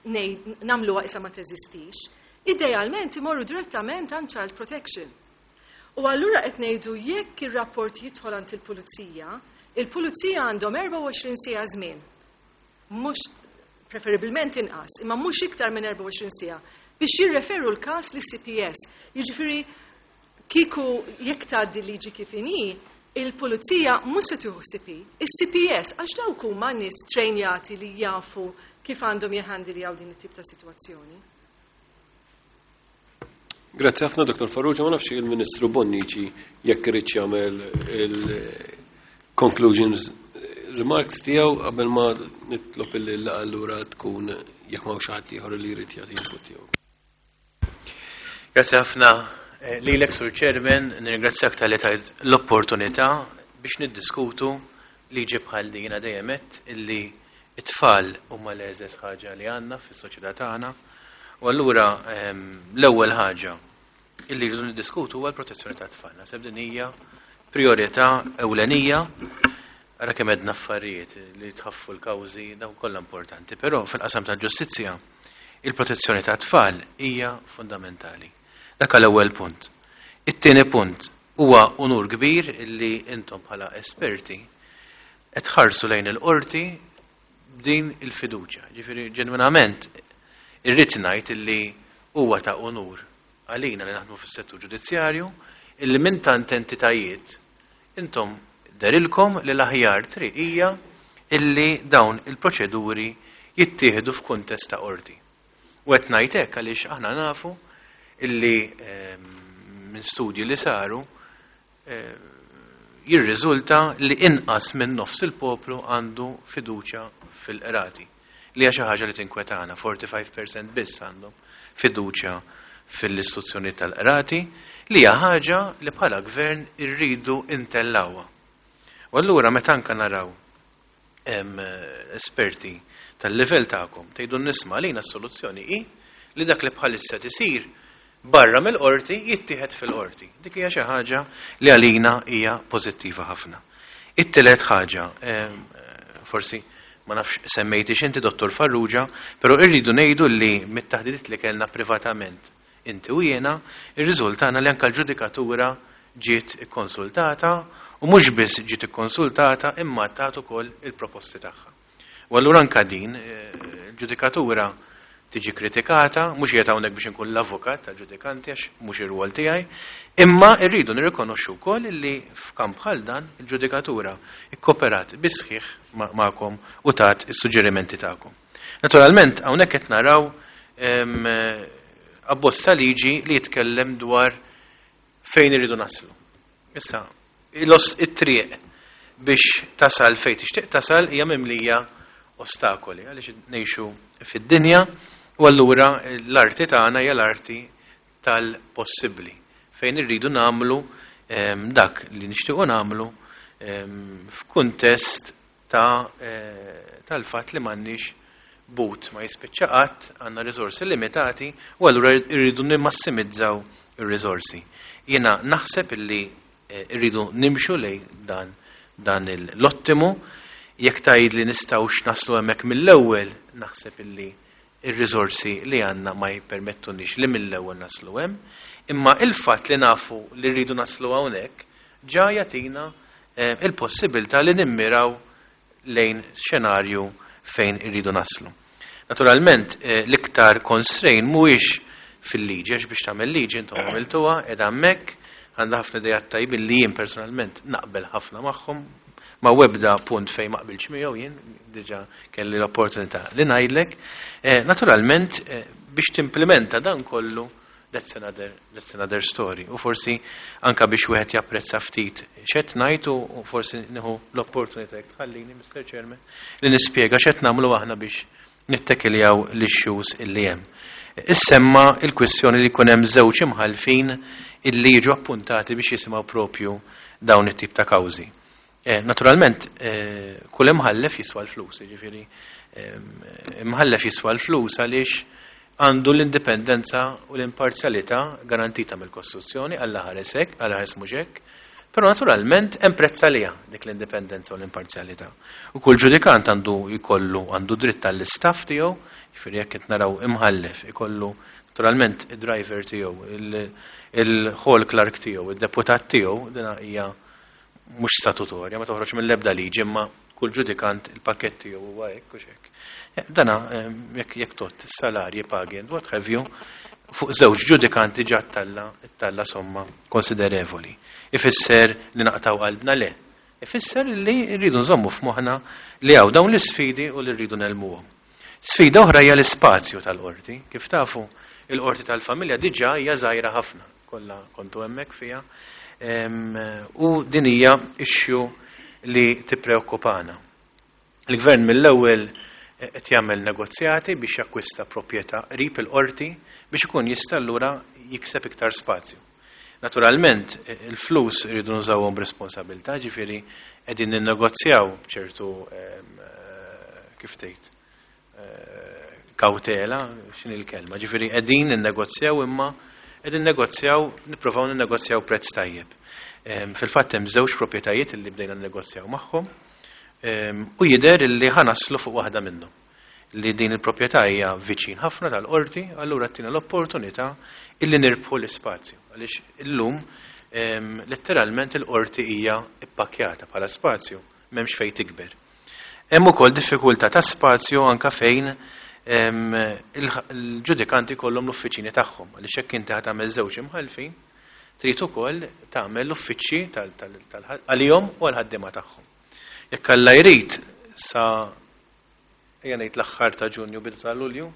nagħmluha issa ma teżistix. Idealment imorru direttament għand Child Protection. U allura qed ngħidu jekk ir-rapport jidħol għand il-Pulizija, il-Pulizija għandhom 24 siegħa żmien. Mhux preferibilment inqas, imma mhux iktar minn 24 siegħa biex jirreferu l-każ lis-CPS. Jiġifieri kieku jekk tgħaddi liġi kif inhi, il-pulizija mhux se tieħu CP, is-CPS għax dawk huma nies trejnjati li jafu kif għandhom jħandiljaw din it-tip ta' sitwazzjoni. Grazzi ħafna Dr. Farrugia, ma nafx il-Ministru Bonnici jekk irid jagħmel il-conclusions remarks tiegħu qabel ma nitlob illi l allura tkun jekk ma hawnx ħadd ieħor li jrid jagħti input tiegħu. Grazzi ħafna lilek Sur Chairman, nirringrazzjak talli tajt l-opportunità biex niddiskutu liġi bħal din. Jiena dejjem għedt illi it-tfal huma l-eżeż ħaġa li għandna fis-soċjetà tagħna. U allura l-ewwel ħaġa illi rridu niddiskutu huwa l-protezzjoni tat-tfal. Naħseb din hija priorità ewlenija. Ara kemm għedna affarijiet li tħaffu l-kawżi dawn kollha importanti, però fil-qasam tal-ġustizzja il-protezzjoni tat-tfal hija fundamentali. Dak l-ewwel punt. It-tieni punt huwa unur kbir illi intom bħala esperti qed tħarsu lejn il-qorti b'din il-fiduċja. Ġifieri ġenwinament irrid ngħid illi huwa ta' unur għalina li naħdmu fis-settur ġudizzjarju illi minn tant entitajiet intom derilkom li l-aħjar triq hija illi dawn il-proċeduri jittieħdu f'kuntest ta' qorti. U qed ngħid hekk għaliex aħna nafu illi minn studji li saru jirriżulta li inqas minn nofs il-poplu għandu fiduċja fil-qrati. Li hija xi ħaġa li tinkwetana, 45% biss għandhom fiduċja fil-istituzzjoni tal-qrati, li hija ħaġa li bħala gvern irridu intellawha. U allura meta anke naraw esperti tal-livell tagħkom tgħidu nisma' lina s-soluzzjoni hi li dak li bħalissa tisir barra mill-qorti jittieħed fil-qorti. Dik hija xi ħaġa li għalina hija pożittiva ħafna. It-tielet ħaġa, forsi ma nafx semmejtix inti Dottor Farrugia, però irridu ngħidu li mit-taħdidiet li kellna privatament inti u jiena, irriżultana li anke l-ġudikatura ġiet ikkonsultata u mhux biss ġiet ikkonsultata imma tat ukoll il-proposti tagħha. U allura anke din il-ġudikatura tiġi kritikata, mhux qiegħed hawnhekk biex inkun l-avukat tal-ġudikanti għax mhux ir-rwol tiegħi, imma rridu nirrikonoxxu wkoll li f'kamp bħal dan il-ġudikatura ikkoperat bisħiħ magħkom u tat is-suġġerimenti tagħkom. Naturalment hawnhekk qed naraw abbozz ta' liġi li jitkellem dwar fejn irridu naslu. Issa, it-triq biex tasal fejn tixtieq tasal hija mimlija ostakoli għaliex ngħixu fid-dinja u allura l-arti tagħna hija l-arti tal-possibbli fejn irridu nagħmlu dak li nixtiequ nagħmlu f'kuntest tal-fatt li m'għandniex but ma jispiċċa qatt, għandna riżorsi limitati u allura rridu nimmassimizzaw ir-riżorsi. Jiena naħseb illi rridu nimxu lejn dan l-ottimu, jekk tgħid li nistgħux naslu hemmhekk mill-ewwel, naħseb illi ir-riżorsi li għandna ma jippermettunix li mill-ewwel naslu hemm, imma il-fatt li nafu li rridu naslu hawnhekk ġa jagħtina il-possibilità li nimmiraw lejn xenarju fejn irridu naslu. Naturalment, l-iktar constraint mhuwiex fil-liġi, għax biex tagħmel liġi intom għamiltuha, qiegħda hemmhekk, għandha ħafna idejat tajbin li jien personalment naqbel ħafna magħhom, ma webda punt fejn ma qbilx miegħu jien, diġà kelli l-opportunità li ngħidlek. Naturalment, biex timplementa dan kollu, that's another story. U forsi anka biex wieħed japprezza ftit x'qed ngħid u forsi nieħu l-opportunità jekk tħallini, Mr. Chairman, li nispjega x'qed nagħmlu aħna biex nittekiljaw l-issues illi hemm. Issemma il-kwistjoni li jkun hemm żewġ imħalfin illi jiġu appuntati biex jisimgħu propju dawn it-tip ta' kawżi. Naturalment, kull imħallef jiswa l-flus, jiġifieri imħallef jiswa l-flus għaliex għandu l-indipendenza u l-imparzjalità garantita mill-Kostituzzjoni, Alla ħares hekk, Alla ħares mhux hekk, però naturalment hemm prezz għaliha dik l-indipendenza u l-imparzjalità. U kull ġudikant għandu jkollu għandu dritt għall-istaff tiegħu, jiġifieri jekk qed naraw imħallef ikollu naturalment id-driver tiegħu, il-hall clerk tiegħu, id-deputat tiegħu, dina hija mhux statutorja, ma toħroġ mill-ebda liġi, imma kull ġudikant il-pakett tiegħu huwa hekk u x'hekk. Dana jekk tot is-salarji, pagi and what have you, fuq żewġ ġudikanti ġa talla somma konsiderevoli. Ifisser li naqtaw qalbna? Le. Ifisser li rridu nżommu f'moħħna li hawn dawn l-isfidi u li rridu negħlbuhom. Sfida oħra hija l-ispazju tal-qorti. Kif tafu, il-qorti tal-familja diġà hija żgħira ħafna. Kollha kontu hemmhekk fiha. U din hija issue li tippreokkupana. Il-gvern mill-ewwel qed jagħmel negozjati biex jakkwista proprjetà qrib il-qorti biex ikun jista' allura jikseb iktar spazju. Naturalment, il-flus iridu nużawhom b'responsabilità, ġifieri qegħdin ninnegozjaw b'ċertu kif tgħid kawtela, x'inhi l-kelma, ġifieri qegħdin ninnegozjaw imma qegħdin negozjaw, nippruvaw ninnegozjaw prezz tajjeb. Fil-fatt hemm żewġ proprjetajiet li bdejna negozjaw magħhom u jidher li ħa naslu fuq waħda minnhom. Li din il-proprjetà hija viċin ħafna tal-qorti, allura tina l-opportunità illi nirbħu l-ispazju. Għaliex illum letteralment il-qorti hija ippakjata bħala spazju, m'hemmx fejn tikber. Hemm ukoll diffikultà ta' spazju anka fejn il-ġudikanti kollhom l-uffiċini tagħhom. Għaliex hekk inti ħa tagħmel żewġ imħalfin, trid ukoll tagħmel l-uffiċċji għalihom u għall-ħaddiema tagħhom. Jekk Alla jrid sa ejja ngħid l-aħħar ta' Ġunju, bidu ta' Lulju,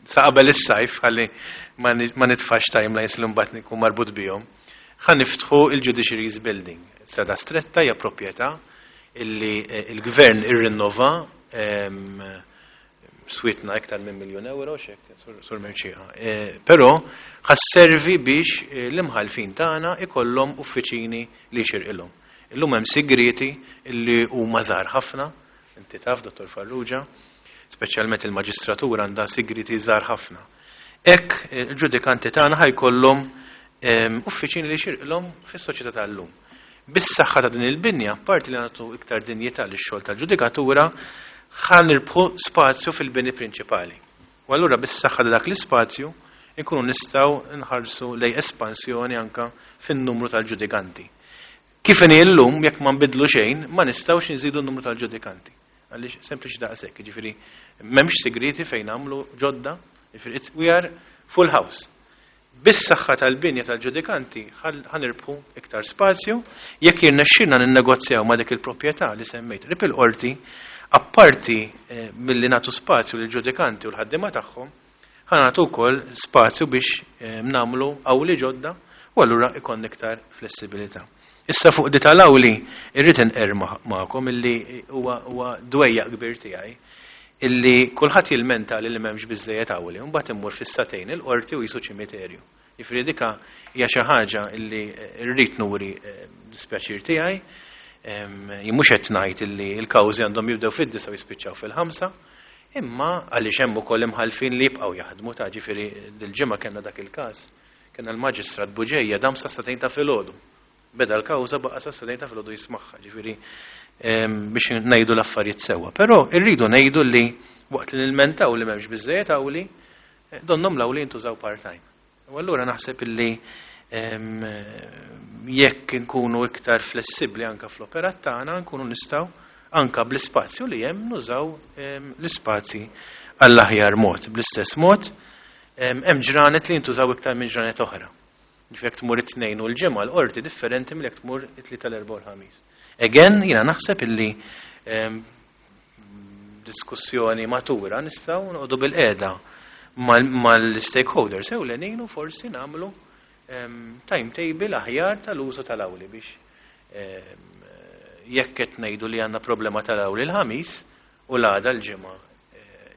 sa qabel is-sajf, ħalli ma nitfax timelines li mbagħad nkun marbut bihom, ħa niftħu il-Judiciary's Building. Strada Stretta hija proprjetà illi il-gvern irrinnova, swietna iktar minn 1 miljun euro, xek, Sur Merċieqa. Però ħa sservi biex l-imħalfin tagħna ikollhom uffiċini li jxirqilhom. Illum hemm sigriti illi huma żgħar ħafna, inti taf, Dottor Farrugia, speċjalment il-maġistratura għandha sigriti żgħar ħafna. Hekk il-ġudikanti tagħna ħa jkollhom uffiċini li jxirqilhom fis-soċjetà tal-lum. Bis-saħħa ta' din il-binja, parti li nagħtu iktar dinjità lix-xogħol tal-ġudikatura, ħa nirbħu spazju fil-bini prinċipali. U allura bis-saħħa ta' dak l-ispazju nkunu nistgħu nħarsu lej espansjoni anka fin-numru tal-ġudikanti. Kif inhi llum, jekk ma nbidlu xejn, ma nistgħux nżidu n-numru tal-ġudikanti. Għaliex sempliċi daqshekk, jiġifieri m'hemmx sigriti fejn nagħmlu ġodda, jiġifieri we are full house. Bis-saħħa tal-binja tal-ġudikanti ħa nirbħu iktar spazju, jekk jirnexxilna ninnegozjaw ma' dik il-proprjetà li semmejt qrib il-qorti, apparti milli nagħtu spazju lill-ġudikanti u l-ħaddiema tagħhom, ħa nagħtu wkoll spazju biex nagħmlu awli ġodda u allura ikun iktar flessibilità. Issa fuq di tal-awli irrid inqer magħkom illi huwa dwejjaq kbir tiegħi illi kulħadd jilmenta li m'hemmx biżejjed awli, u mbagħad immur fis-sagħtejn il-qorti u qisu ċimiterju. Jiġifieri dika hija xi ħaġa illi rrid nuri dispjaċir tiegħi. Jien mhux qed ngħid illi l-kawżi għandhom jibdew fid-9 u jispiċċaw fil-5, imma għaliex hemm ukoll imħalfin li jibqgħu jaħdmu ta' ġifieri dil-ġimgħa kellna dak il-każ. Kellna l-Maġistrat Buġeja dam sa sagħtejn ta' filgħodu. Beda l-kawża, baqa' sa sagħtejn ta' filgħodu jismagħha, ġifieri biex ngħidu l-affarijiet sewwa. Però rridu ngħidu li waqt li nilmentaw li m'hemmx biżejjed awli, donnhom l-awli jintużaw part-time. U allura naħseb illi Jekk nkunu iktar flessibbli anka fl-operat tagħna, nkunu nistgħu anka bl-ispazju li hemm nużaw l-ispazji għall-aħjar mod. Bl-istess mod, hemm ġranet li jintużaw iktar minn ġranet oħra. Ġifieri jekk tmur it-Tnejn u l-Ġimgħa l-qorti differenti milli jekk tmur it-Tlieta, l-Erbgħa u l-Ħamis. Again, jiena naħseb illi diskussjoni matura nistgħu noqogħdu bil-qiegħda mal-stakeholders ewlenin u forsi nagħmlu timetable aħjar tal-użu tal-awli biex jekk qed ngħidu li għandna problema tal-awli l-Ħamis u l-għada l-Ġimgħa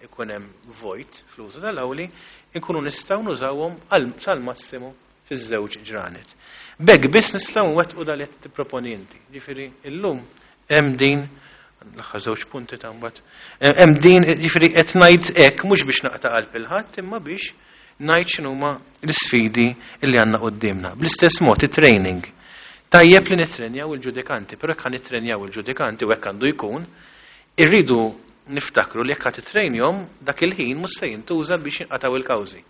ikun hemm vojt fl-użu tal-awli, inkunu nistgħu nużawhom sal-massimu fiż-żewġ ġranet. B'hekk biss nistgħu nwettqu dal qed tipproponi inti. Ġifieri illum hemm din l-aħħar żewġ punti ta' mbagħad. Hemm din, ġifieri qed ngħid hekk mhux biex naqta' qalb il-ħadd imma biex ngħid x'inhuma l-isfidi li għandna quddiemna. Bl-istess mod it-training. Tajjeb li nittrenjaw il-ġudikanti, però jekk nitrenjaw il-ġudikanti u hekk għandu jkun, irridu niftakru li jekk ħa titrejnjhom dak il-ħin mhux se jintuża biex jinqataw il-kawżi.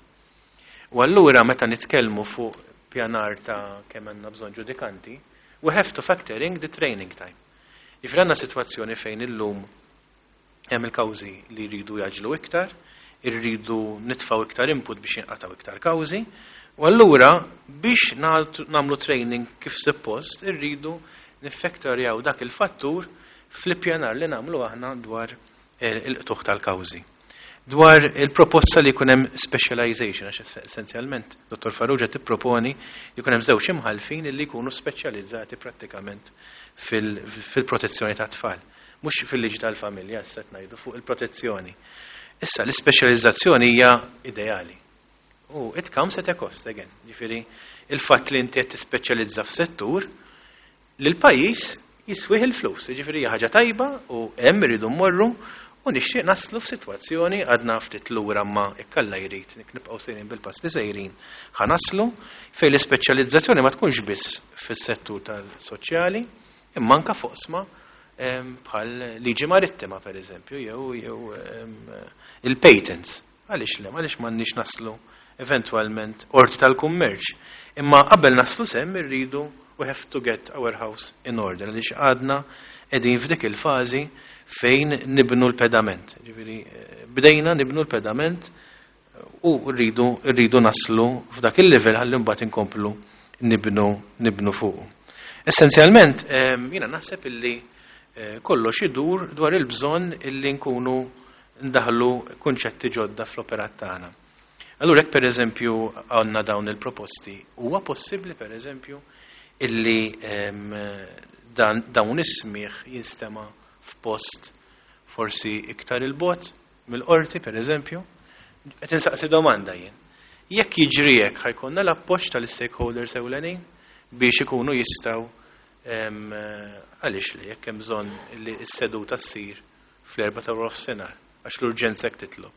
U allura meta nitkellmu fuq pjanar ta' kemm għandna bżonn ġudikanti, we have to factor in the training time. Ġifieri għandna sitwazzjoni fejn illum hemm il-kawżi li jridu jaġlu iktar, irridu nitfaw iktar input biex jinqataw iktar kawżi, u allura biex nagħmlu training kif suppost irridu niffaktorjaw dak il-fattur fl-ippjanar li nagħmlu aħna dwar il-qtugħ tal-kawżi. Dwar il-proposta li jkun hemm specialization, għax essenzjalment Dr. Farrugia tipproponi li jkun hemm żewġ imħalfin li jkunu speċjalizzati prattikament fil-protezzjoni ta' tfal. Mhux fil-liġi tal-familja, issa qed ngħidu fuq il-protezzjoni. Issa l-ispeċjalizzazzjoni hija ideali. U it comes at a cost again. Ġifieri il-fatt li inti qed tispeċjalizza f'settur li l-pajjiż jiswih il-flus. Ġifieri hija ħaġa tajba u hemm irridu mmorru u nixtieq naslu f'sitwazzjoni, għadna ftit lura ma jekk Alla jrid nibqgħu sejrin bil-pass li sejrin ħa naslu fejn l-ispeċjalizzazzjoni ma tkunx biss fis-settur tal-soċjali imma anke f'oqsma bħal liġi marittima, per eżempju, jew il-patents. Għaliex le, għaliex m'għandniex naslu eventwalment qorti tal-kummerċ? Imma qabel naslu s'hemm irridu, we have to get our house in order, għaliex għadna qegħdin f'dik il-fażi fejn nibnu l-pedament. Ġifieri bdejna nibnu l-pedament u rridu naslu f'dak il-level ħalli mbagħad inkomplu nibnu fuq. Essenzjalment, jiena naħseb illi kollox idur dwar il-bżonn illi nkunu ndaħlu kunċetti ġodda fl-operat tagħna. Allura jekk, pereżempju, għandna dawn il-proposti, huwa possibbli, pereżempju, illi dawn is-smigħ jinstema' f'post forsi iktar il-bogħod mill-qorti, pereżempju? Qed insaqsi domanda jien. Jekk jiġri hekk, ħa jkollna l-appoġġ tal-stakeholders ewlenin biex ikunu jistgħu, għaliex li jekk hemm bżonn li s-seduta ssir fl-4 ta' nofsinhar għax l-urġenza hekk titlob,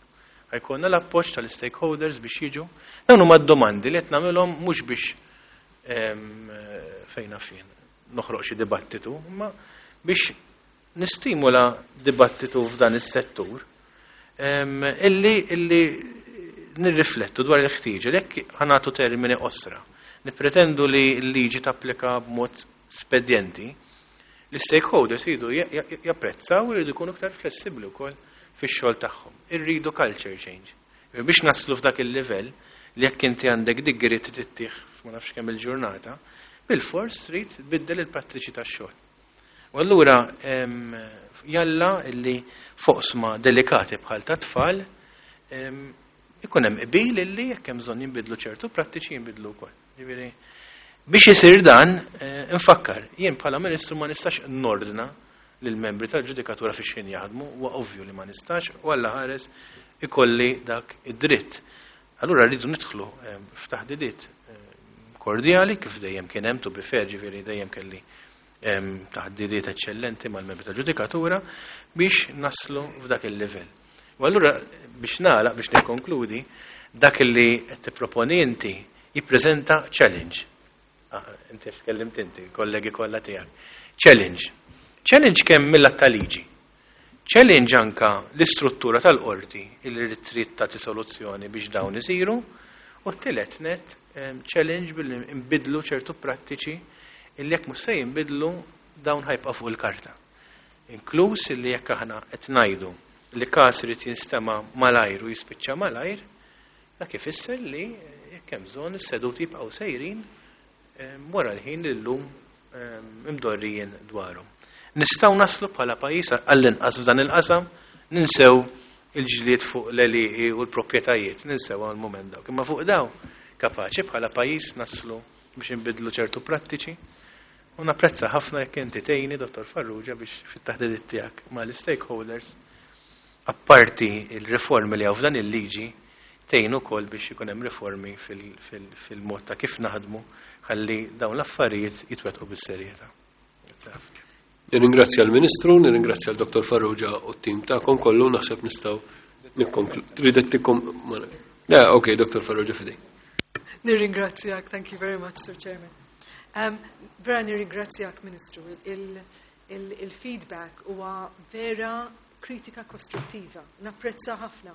ħa jkollna l-appoġġ tal-stakeholders biex jiġu? Dawn huma d-domandi li qed nagħmilhom mhux biex fejna fien noħroq xi dibattitu, imma biex nistimula dibattitu f'dan is-settur illi nirriflettu dwar il-ħtieġa li jekk ħa nagħtu termini qosra, nippretendu li l-liġi tapplika b'mod spedjenti, l-stakeholders jridu japprezzaw u jridu jkunu iktar flessibbli wkoll fix-xogħol tagħhom. Irridu culture change. Biex naslu f'dak il-livell li jekk inti għandek degree tittieħ ma nafx kemm il-ġurnata, bil-fors trid tbiddel il-prattiċi tax-xogħol. U allura jalla illi f'oqsma delikati bħal ta' tfal ikun hemm qbil illi jekk hemm bżonn jinbidlu ċertu prattiċi, jinbidlu wkoll. Ġifieri biex isir dan, infakkar, jien bħala ministru ma nistax nordna lill-membri tal-ġudikatura fi xejn jaħdmu, huwa ovvju li ma nistax u Alla ħares ikolli dak id-dritt. Allura rridu nidħlu f'taħdidiet kordjali kif dejjem kien hemm, to be fair, ġifieri dejjem kelli taħdidiet eċċellenti mal-membri tal-ġudikatura biex naslu f'dak il-livell. U allura biex nagħlaq, biex nikkonkludi, dak li qed tipproponi inti jippreżenta challenge. Ah, inti tkellimt inti, kollegi kollha tiegħek. Challenge. Challenge kemm mill ta' liġi. Challenge anka l-istruttura tal-qorti illi trid tagħti soluzzjoni biex dawn isiru u U t-tielet net, challenge billi nbiddlu ċertu prattiċi illi jekk mhux se jinbidlu dawn ħa jibqa' fuq il-karta. Inkluż illi jekk aħna qed ngħidu li każ irid jinstema' malajr u jispiċċa malajr, dak ifisser li jekk hemm bżonn is-seduti jibqgħu sejrin wara l-ħin li llum imdorrijin dwarhom. Nistgħu naslu bħala pajjiż għall-inqas f'dan il-qasam ninsew il-ġlied fuq l-għelieqi u l-proprjetajiet, ninsew għal mument dawk. Imma fuq daw kapaċi bħala pajjiż naslu biex inbiddlu ċertu prattiċi u napprezza ħafna jekk inti tgħinni, Dottor Farrugia, biex fit-taħdidiet tiegħek mal-stakeholders, apparti il-riformi li hawn f'dan il-liġi, tgħin ukoll biex ikun hemm riformi fil-mod ta' kif naħdmu ħalli dawn l-affarijiet jitwettqu bis-serjetà. Nirringrazzja l-Ministru, nirringrazzja l-Dottor Farrugia u t-tim tagħkom kollu, naħseb nistgħu nikkonklu. Tridet tikkom Le, ok, Dottor Farrugia fidej. Nirringrazzjak, thank you very much, Sir Chairman. Vera nirringrazzjak, Ministru, il-feedback huwa vera kritika kostruttiva, napprezza ħafna.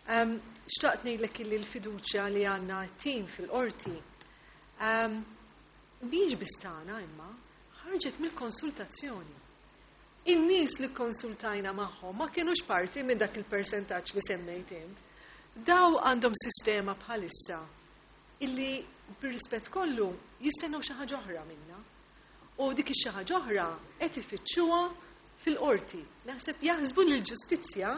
Xtaqt ngħidlek illi l-fiduċja li għandna t-tim fil-qorti mhijiex biss tagħna imma ħarġet mill-konsultazzjoni. In-nies li konsultajna magħhom ma kienux parti minn dak il-persentaġġ li semmejt int. Daw għandhom sistema bħalissa illi bir-rispett kollu jistennew xi ħaġa oħra minna. U dik ix-xi ħaġa oħra qed ifittxuha fil-qorti. Naħseb jaħsbu li l-ġustizzja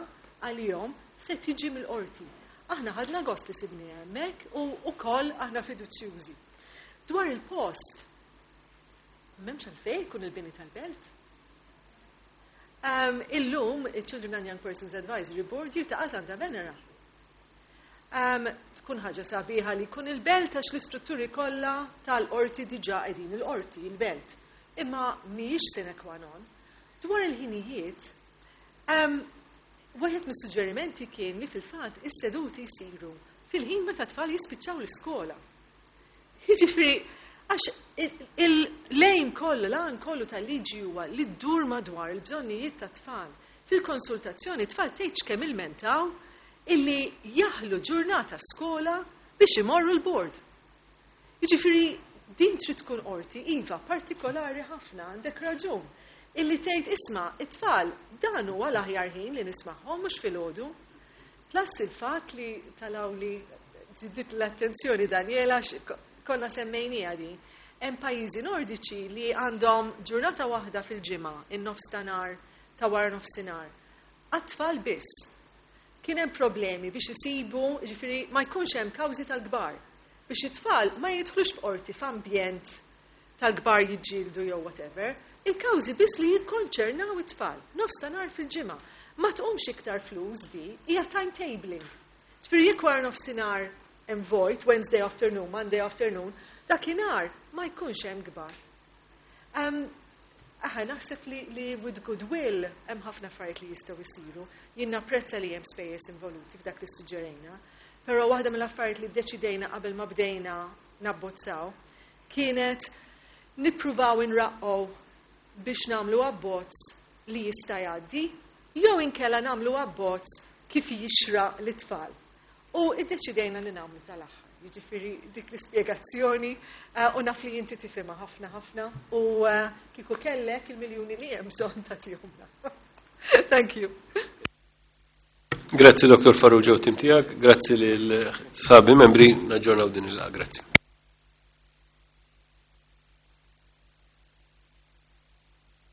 għalihom se tiġi mill-qorti. Aħna ħadna gost li sibni hemmhekk u wkoll aħna fiduċjużi. Dwar il-post, m'hemmx għalfejn jkun il-bini tal-belt. Illum, il-Children and Young Persons Advisory Board jiltaqa' Santa Venera. Tkun ħaġa sabiħa li jkun il-belt għax l-istrutturi kollha tal-qorti diġà qegħdin il-qorti, il-belt. Imma mhijiex sine qua non. Dwar il-ħinijiet, wieħed mis-suġġerimenti kien li fil-fatt is-seduti jsiru fil-ħin meta tfal jispiċċaw l-iskola. Jiġifieri, għax il-lejn kollu, l-għan kollu tal-liġi huwa li ddur madwar il-bżonnijiet tat-tfal. Fil-konsultazzjoni tfal tgħidx kemm ilmentaw illi jaħlu ġurnata skola biex imorru l-bord. Jiġifieri din trid tkun qorti iva partikolari ħafna, għandek raġun, illi tgħid isma' it-tfal dan huwa l-aħjar ħin li nismagħhom mhux filgħodu. Plus il-fatt li talaw li ġiddit l-attenzjoni Daniela konna semmejnija din. Hemm pajjiżi nordiċi li għandhom ġurnata waħda fil-ġimgħa, in-nofs ta' nhar ta' wara nofsinhar. Għat-tfal biss. Kien hemm problemi biex isibu, ġifieri ma jkunx hemm kawżi tal-kbar. Biex it-tfal ma jidħlux f'qorti f'ambjent tal-kbar jiġġieldu jew whatever, il-kawżi biss li jikkonċernaw it-tfal, nofs ta' nhar fil-ġimgħa. Ma tqumx iktar flus di, hija timetabling. Ġifieri jekk wara nofsinhar hemm vojt, Wednesday afternoon, Monday afternoon, dakinhar ma jkunx hemm kbar. Aħna naħseb li with goodwill hemm ħafna affarijiet li jistgħu jsiru. Jien napprezza li hemm spejjeż involuti f'dak li suġġerejna, però waħda mill-affarijiet li ddeċidejna qabel ma bdejna nabbozzaw kienet nippruvaw inraqqgħu biex nagħmlu abbozz li jista' jgħaddi jew inkella nagħmlu abbozz kif jixraq lit-tfal. U iddeċidejna li nagħmlu tal-aħħar. Jiġifieri dik l-ispjegazzjoni u naf li inti tifhimha ħafna ħafna u kieku kellek il-miljuni li hemm bżonn tagħtihomna. Thank you. Grazzi Dr. Farrugia u tim tiegħek, grazzi lil sħabi membri, naġġornaw din il-laqgħa. Grazzi.